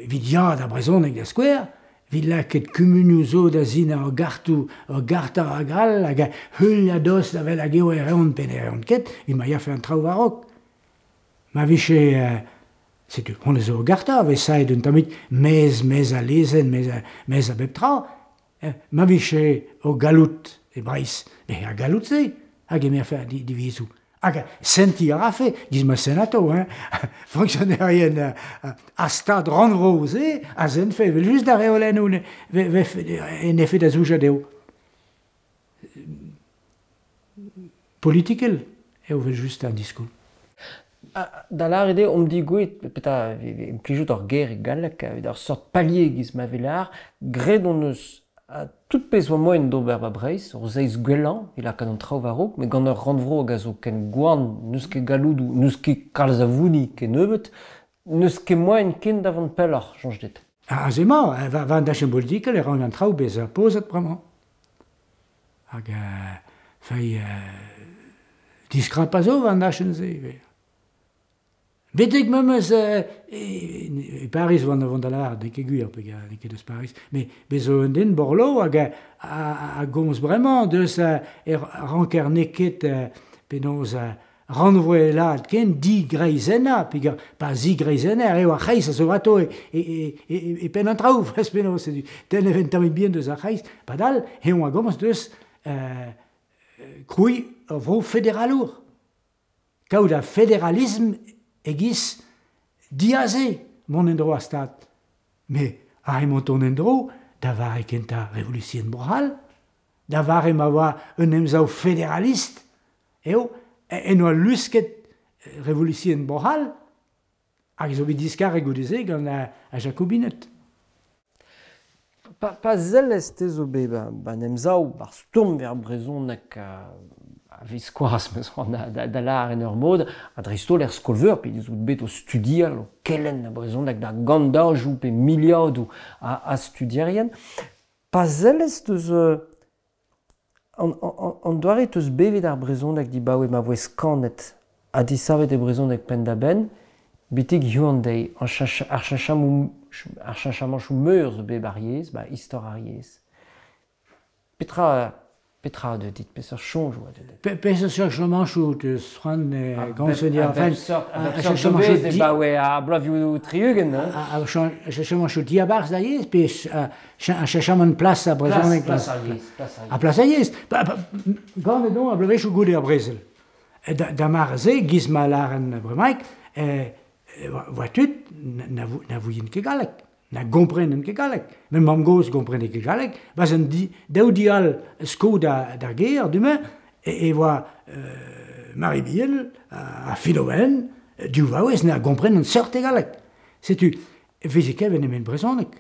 evit ya d'ar brezhoneg da skouer, evit lakaat kumunioù zo da sinañ ur gartoù, ur garta hag all, hag heuliañ a-dost da wel hag eo e reont pe ne reont ket, evit ma yafe an traoù war-raok. Ma vije, setu, honnezh zo ur garta, a vez saet un tammig maez a lezenn, maez a bep tra, ma vije o galloud e Breizh, met ar galloud-se a gemerfe divizoù. Hag sentiñ a rafe, giz ma sent atao, hein, fonksionerien ar stad rannvro-se a sentfe evel-just d'ar reolennoù en efe da zoujañ dezho. Politikel eo evel-just an diskoulm. Da lâret eo omp digouezhet, petra implijout ur ger e galleg evit ur seurt palier giz ma vez lâr, graet hon eus tout pezh oa moaien d'ober ba Breizh, ur seizh gwellañ, e lakaat an traoù war-raok, met gant ur rannvro hag a zo ken gwan, n'eus ket galloudoù, n'eus ket kalz a vouni kennebeut, n'eus ket moaien ken da vont pelloc'h, soñj dit. Aze emañ, war an dachenn bolitikel e rank an traoù bezañ pozet bremañ. Hag fei diskrap a zo war an dachenn-se ivez. Betek memes e Paris oan o vont da lavaret, n'eo ket gwir, peogwir n'eo ket eus Paris, met bez zo un den Borloo hag a gomz bremañ deus e ranker n'eo ket penaos rannvroelaat ken digreizennañ, peogwir pa zigreizenner eo ar c'hreiz a zo atao e penn an traoù, penaos tenn e vent tammig bihan deus ar c'hreiz, padal eñ a gomz deus krouiñ ur vro federalour. Kaout ar federalism e-giz diaze mont en-dro ar Stad. Met aze emañ tont en-dro da vare kentañ Revolution Bro-C'hall, da vare ma oa un emsav federalist eo en oa lusket Revolution Bro-C'hall hag zo bet diskaret goude-se gant ar Jakobined. Pa sellez te zo bet ba'n emsav, ba'r stourm er brezhoneg a-viskoazh 'meus c'hoant da lâr en ur mod, ha dreist-holl er skol-veur, pe out bet o studial, o kelenn ar brezhoneg da gantajoù pe miliadoù a studierien. Pa sellez deus An doare teus bevet ar brezhoneg dibaoe ma voe skanet ha disavet e brezhoneg penn-da-benn, betek hiziv an deiz, ar cheñchamantoù meur zo bet ar yezh, ba istor ar yezh. Petra petra a deu dit? Peseurt soñjoù a deu dit? Peseurt cheñchamantoù teus c'hoant gant A bep seurt a bep seurt zo bet dibaoe ar bloavezhioù 60, hein? Ar cheñchamantoù diabarzh ar yezh pe ar cheñchamant plas ar brezhoneg? Plas ar yezh. Plas ar plas ar yezh. Ganet on ar bloavezhioù goude ar brezel. Da mare-se, giz ma lâren bremaik, oa tud na vouient ket galleg, na gomprenen ket galleg. Ma mamm-gozh gomprene ket galleg, 'barzh an daou di all sko d'ar gêr du-mañ e oa Marie Biel ha Philomène, div vaouez na gomprenent seurt e galleg. Setu e veze klevet nemet brezhoneg.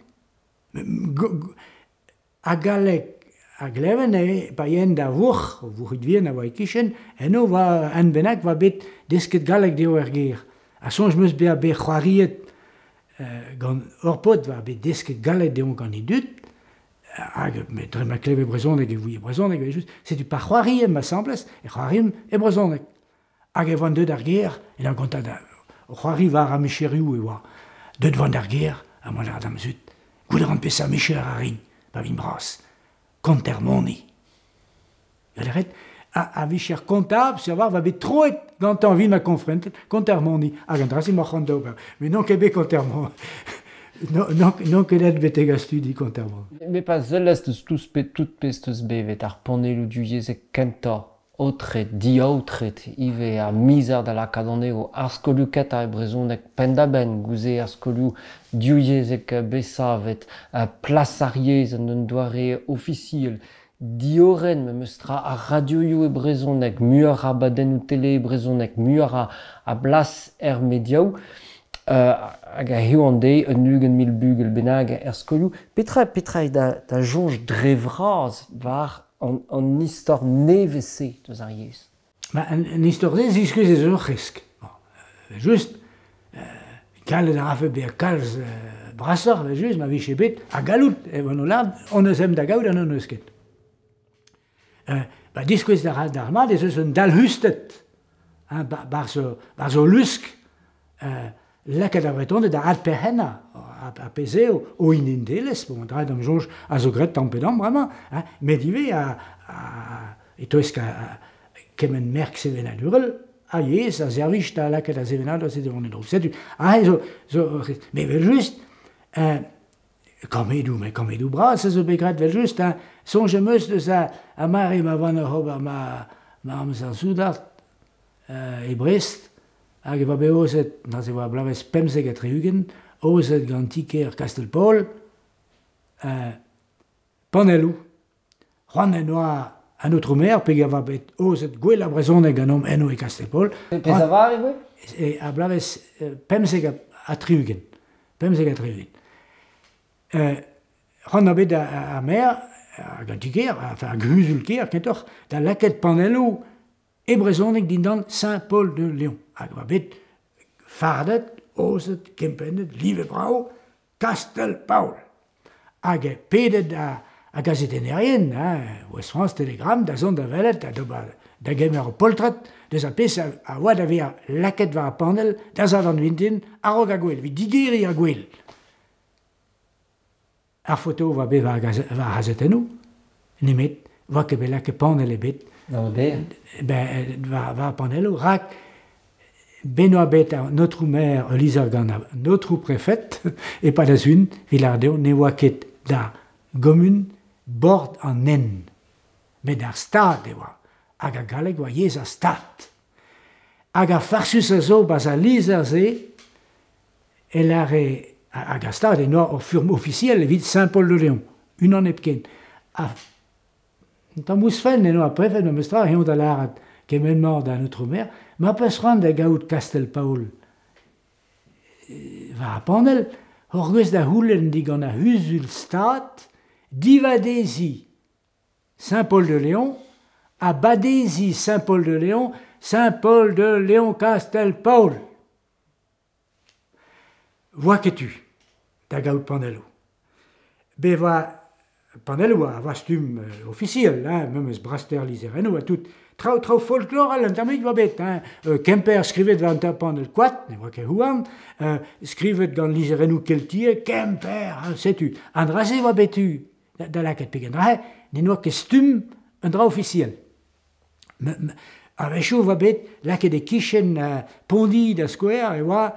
Ha galleg a gleven eo pa yen da vourc'h, vourc'hig vihan a oa e-kichen, eno oa un bennak oa bet desket galleg dezho er gêr. Ha soñj 'm eus bezañ bet c'hoariet gant ur paotr oa bet desket galleg dezhañ gant e dud, hag met dre ma kleve brezhoneg e ouie brezhoneg evel-just. Setu pa c'hoariemp asambles e c'hoariemp e brezhoneg. Hag e oan deuet d'ar gêr, en ur gontañ da c'hoari war ar micherioù e oa. Deuet oan d'ar gêr ha mont a ra da'm zud. Gouzout a ran peseurt micher a rin pa vin bras. Konter moni. Ret a vicher kontabl, savoir va bet troet gantañ evit ma konfrentet, konter moni. Hag an dra-se 'mañ c'hoant d'ober. Met n'on ket bet konter moni. N'on ket aet betek ar studi konter moni. Met pa sellez deus tout pezh 'teus bevet, ar panelloù divyezhek kentañ, aotret, diaotret ivez, ar mizer da lakaat anezho, ar skolioù kentañ e brezhoneg penn-da-benn, goude ar skolioù divyezhek bet savet, plas ar yezh en un doare ofisiel, diorren memes tra ar radioioù e brezhoneg, muioc'h a abadennoù tele e brezhoneg, muioc'h a blas er mediaoù, hag hiziv an deiz un 20 000 bugel bennak er skolioù. Petra petra eo da soñj dre vras war an istor nevez-se deus ar yezh? Ma, an istor-se ziskouez ez eus ur c'hresk. Bon, just, gallet a rafe bezañ kalz brasoc'h evel-just ma vije bet ha gallout evel o lâret hon eus ezhomm da gaout ha n'hon eus ket. Ba diskouez a ra d'ar mat ez eus un dalc'husted hein, 'barzh o lusk lakaat ar Vretoned da adperc'hennañ ar pezh eo o identelezh, bon, an dra d'am soñj a zo graet tamm pe damm bremañ, hein, met ivez e-touesk kement merk sevenadurel a yezh a servij da lakaat ar sevenadur-se da vont en-dro. Setu aze zo met evel-just kammedoù, met kammedoù bras a zo bet graet evel-just, hein. Soñj am eus deus ar mare ma oan oc'h ober ma amzer soudard e Brest, hag e oa bet aozet, neuze e oa bloavezh 75, aozet gant ti-kêr Kastell-Paol, panelloù. C'hoant en doa an aotrou maer, peogwir e oa bet aozet gwell ar brezhoneg ganeomp eno e Kastell-Paol. Pezh a vare e voe? Ar bloavezh 75. 75. C'hoant oa bet ar maer hag an ti-kêr, enfin ar c'huzul-kêr kentoc'h, da lakaat panelloù e brezhoneg dindan Saint-Paul-de-Léon. Hag e oa bet fardet, aozet, kempennet, livet brav, Kastell-Paol. Hag pedet ar gazetennerien, hein, Ouest-France, Télégramme, da zont da welet, da d'ober da gemer ur poltred deus ar pezh a oa da vezañ lakaet war ar panell da Sadorn vintin a-raok ar gouel, evit digeriñ ar gouel. Ar foto oa bet war ar c'hazetennoù, nemet oa ket bet lakaet panell ebet ben, war ar panelloù, rak ben oa bet an aotrou maer ul lizher gant an aotrou prefed e-pad ar sizhun evit lâret dezho ne oa ket da gomun bord an hent, met ar stad e oa, hag ar galleg oa yezh ar stad. Hag ar farsus a zo 'barzh al lizher-se e lâre hag ar stad en oa ur furm ofisiel evit Saint-Paul-de-Léon, unan hepken. Ha un tamm ouzhpenn en oa prefed memestra eñ da lâret kement-mañ d'an aotrou maer, ma 'peus c'hoant da gaout Kastell-Paol war ar panell, hoc'h eus da c'houlenn digant ar c'huzul-stad divadeziñ Saint-Paul-de-Léon ha badeziñ Saint-Paul-de-Léon Saint-Paul-de-Léon Kastell-Paol. Voa ket tu da gaout panelloù. Bevañ Panelloù a oa stumm ofisiel, hein, memes braster lizherennoù ha tout. Traoù traoù folklorel un tammig oa bet, hein. Kemper skrivet war un panell koad, ne oa ket houarn, skrivet gant lizherennoù keltiek, Kemper, hein, setu. An dra-se oa bet tu da lakaat pegen dra, ne oa ket stumm un dra ofisiel. A-wechoù e oa bet lakaet e-kichen Pondi da skouer e oa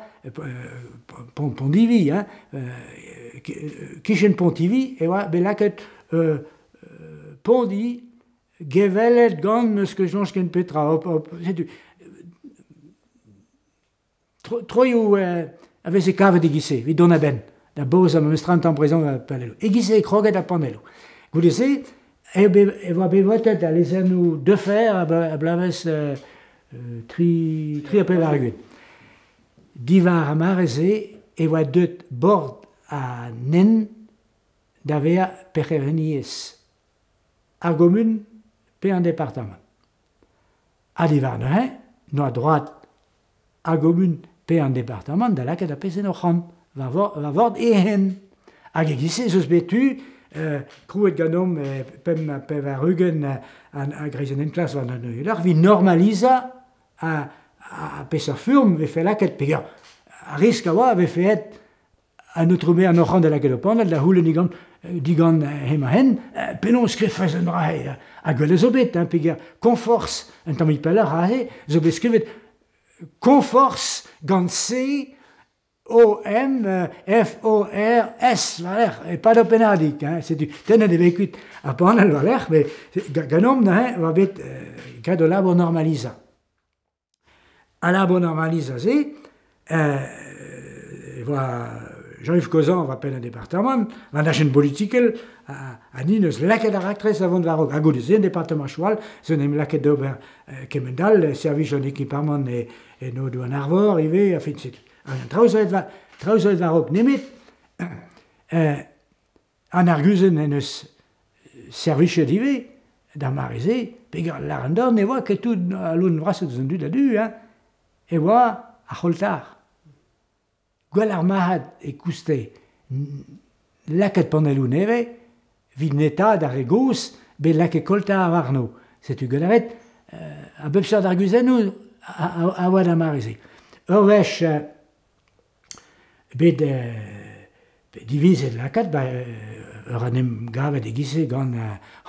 Pondivi, hein, kichen Pontivy e oa bet lakaet Pondi gevellet gant n'eus ket soñj ken petra. Hop, hop, setu. Troioù a veze kavet e-giz-se, evit dont a-benn, da bozañ memestra un tamm brezhoneg war panelloù. E-giz-se e kroget ar panelloù. Goude-se eo bet e oa bet votet al lezennoù Defer a bloavezh tri ha 80. Diwar ar mare-se e oa deuet bord an hent da vezañ perc'henniezh ar gomun pe an departamant. Ha diwar neuze n'oa droad ar gomun pe an departamant da lakaat ar pezh en o c'hant war vord e hent. Hag e-giz-se ez eus bet tu, krouet ganeomp pemp ha 80 a greizenn enklask war an neuier, evit normalizañ a peseurt furm vefe lakaet, peger ar risk a oa a vefe aet an aotrou maer an oc'han da lakaat o panell da c'houlenn digant digant hemañ-hen penaos skrivfes an dra-se. Ha gwell zo bet, hein, peger Konforz un tammig pelloc'h aze zo bet skrivet Konforz gant C O M F O R S war-lerc'h, e-pad ur pennadig, hein, setu tennet eo bet kuit ar panell war-lerc'h, met ganeomp neuze e oa bet graet ul labour normalizañ. Al labour normalizañ-se e oa Jean-Yves Cozan war penn an departamant, war an dachenn bolitikel, ha ni 'neus lakaet ar raktres da vont war-raok. Ha goude-se, an departamantoù all zo en em lakaet d'ober kement-all, servij an ekipamant e Aodoù-an-Arvor ivez, enfin setu. An traoù zo aet traoù zo aet war-raok nemet an arguzenn en deus servichet ivez d'ar mare-se, peger lâr an dorn ne oa ket tout al loen vrasañ deus an dud a-du, hein, e oa ar c'holtar. Gwell ar marc'had e kouste lakaat panelloù nevez evit netaat ar re gozh bet lakaet koltar warno. Setu gwell a ret a bep seurt arguzennoù a oa d'ar mare-se. Ur wech bet divizet lakaat, ba ur en em gavet e-giz-se gant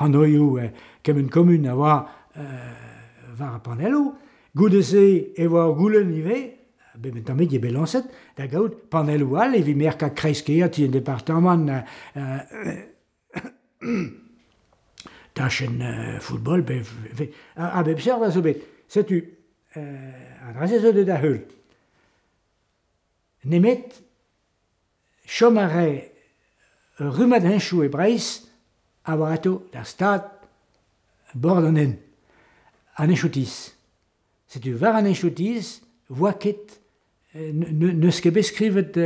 hanoioù kement komun a oa war ar panelloù. Goude-se e oa ur goulenn ivez, bet un tammig eo bet lañset, da gaout panelloù all evit merkañ kreiz-kêr ti an departamant tachenn football pe a bep seurt a zo bet. Setu an dra-se zo deuet da heul. Nemet chom a rae ur rummad henchoù e Breizh a oa atao d'ar stad bord an hent, an henchoù-tizh. Setu war an henchoù-tizh 'voa ket n'eus ket bet skrivet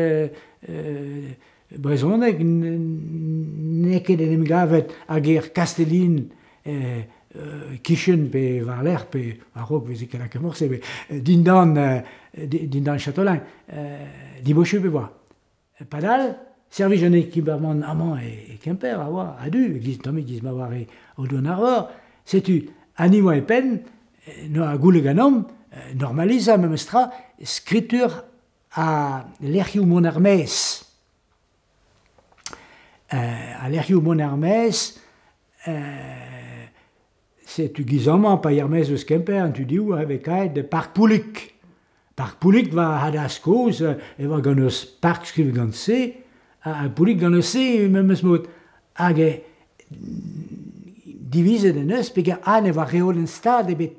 brezhoneg, n'eo ket en em gavet ar ger Kastellin kichen pe war-lerc'h pe a-raok 'veze ket lakaet morse, met dindan dindan Châteaulin, dibosupl e oa. Padal, servij an ekipamant amañ e Kemper a oa a-du, e-giz tammig e-giz ma oa re Aodoù-an-Arvor. Setu ha ni oa e penn, noa goulenn ganeomp normalizañ memestra skritur ha lec'hioù mont er-maez. Al lec'hioù mont er-maez, setu giz amañ pa er-maez eus Kemper, an tu div a vez kaet Park Poulig. Park Poulig war Hadaz kozh e oa gant eus park skrivet gant C, ha Poulig gant eus C memes mod. Hag divizet en deus peger ha ne oa reolenn stad ebet.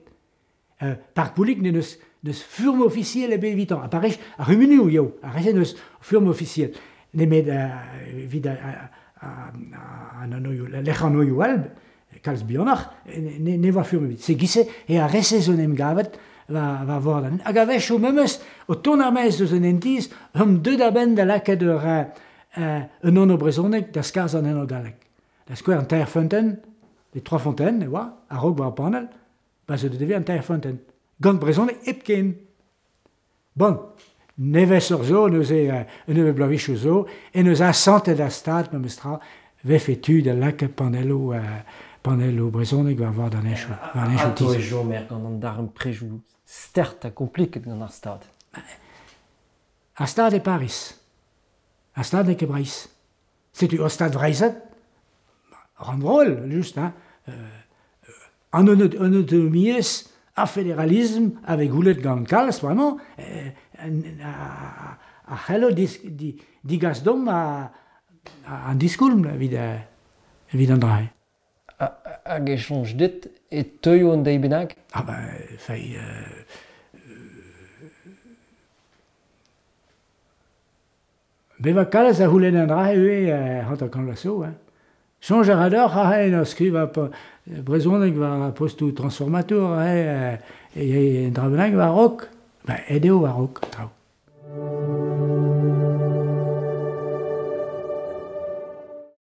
Park Poulig n'en deus n'eus furm ofisiel ebet evitañ. Ha parrez ar c'humunioù eo, ar re-se n'eus furm ofisiel. Nemet evit an anvioù, lec'hanvioù all, kalz bihanoc'h, ne oa furm ebet. Se giz-se eo ar re-se zo en em gavet war vord an... Hag a-wechoù memes, o tont er-maez eus un hent-tizh, omp deuet a-benn da lakaat ur un anv brezhonek da skarzhañ an anv gallek. Da skouer an teir feunteun, les trois fontaines e oa, a-raok war ar panell, pa zo deuet an teir feunteun. Gant brezhoneg hepken. Bon, nevez ur zo, neuze un nebeud bloavezhioù zo, en deus asantet ar Stad memestra vefe tu da lakaat panelloù panelloù brezhonek war vord an henchoù. War an henchoù Atao e tizh. chomer gant an darempredoù start ha kompliket gant ar Stad. Ar Stad e Pariz. Ar Stad n'eo ket Breizh. Setu ur Stad vreizhat, rannvroel, just, hein. An autonomiezh, ar federalism a vez goulet gant kalz bremañ, a c'hello digas deomp an diskoulm evit an dra-se. Hag e soñj dit e teuio un deiz bennak? Ah ben, fei... Bevañ kalz a c'houlenn an dra-se ivez 50 vloaz zo. Hein. Soñj a ra deoc'h aze en ur skrivañ brezhoneg war ar postoù transformatour aze e un dra bennak war-raok. Ben, aet eo war-raok an traoù.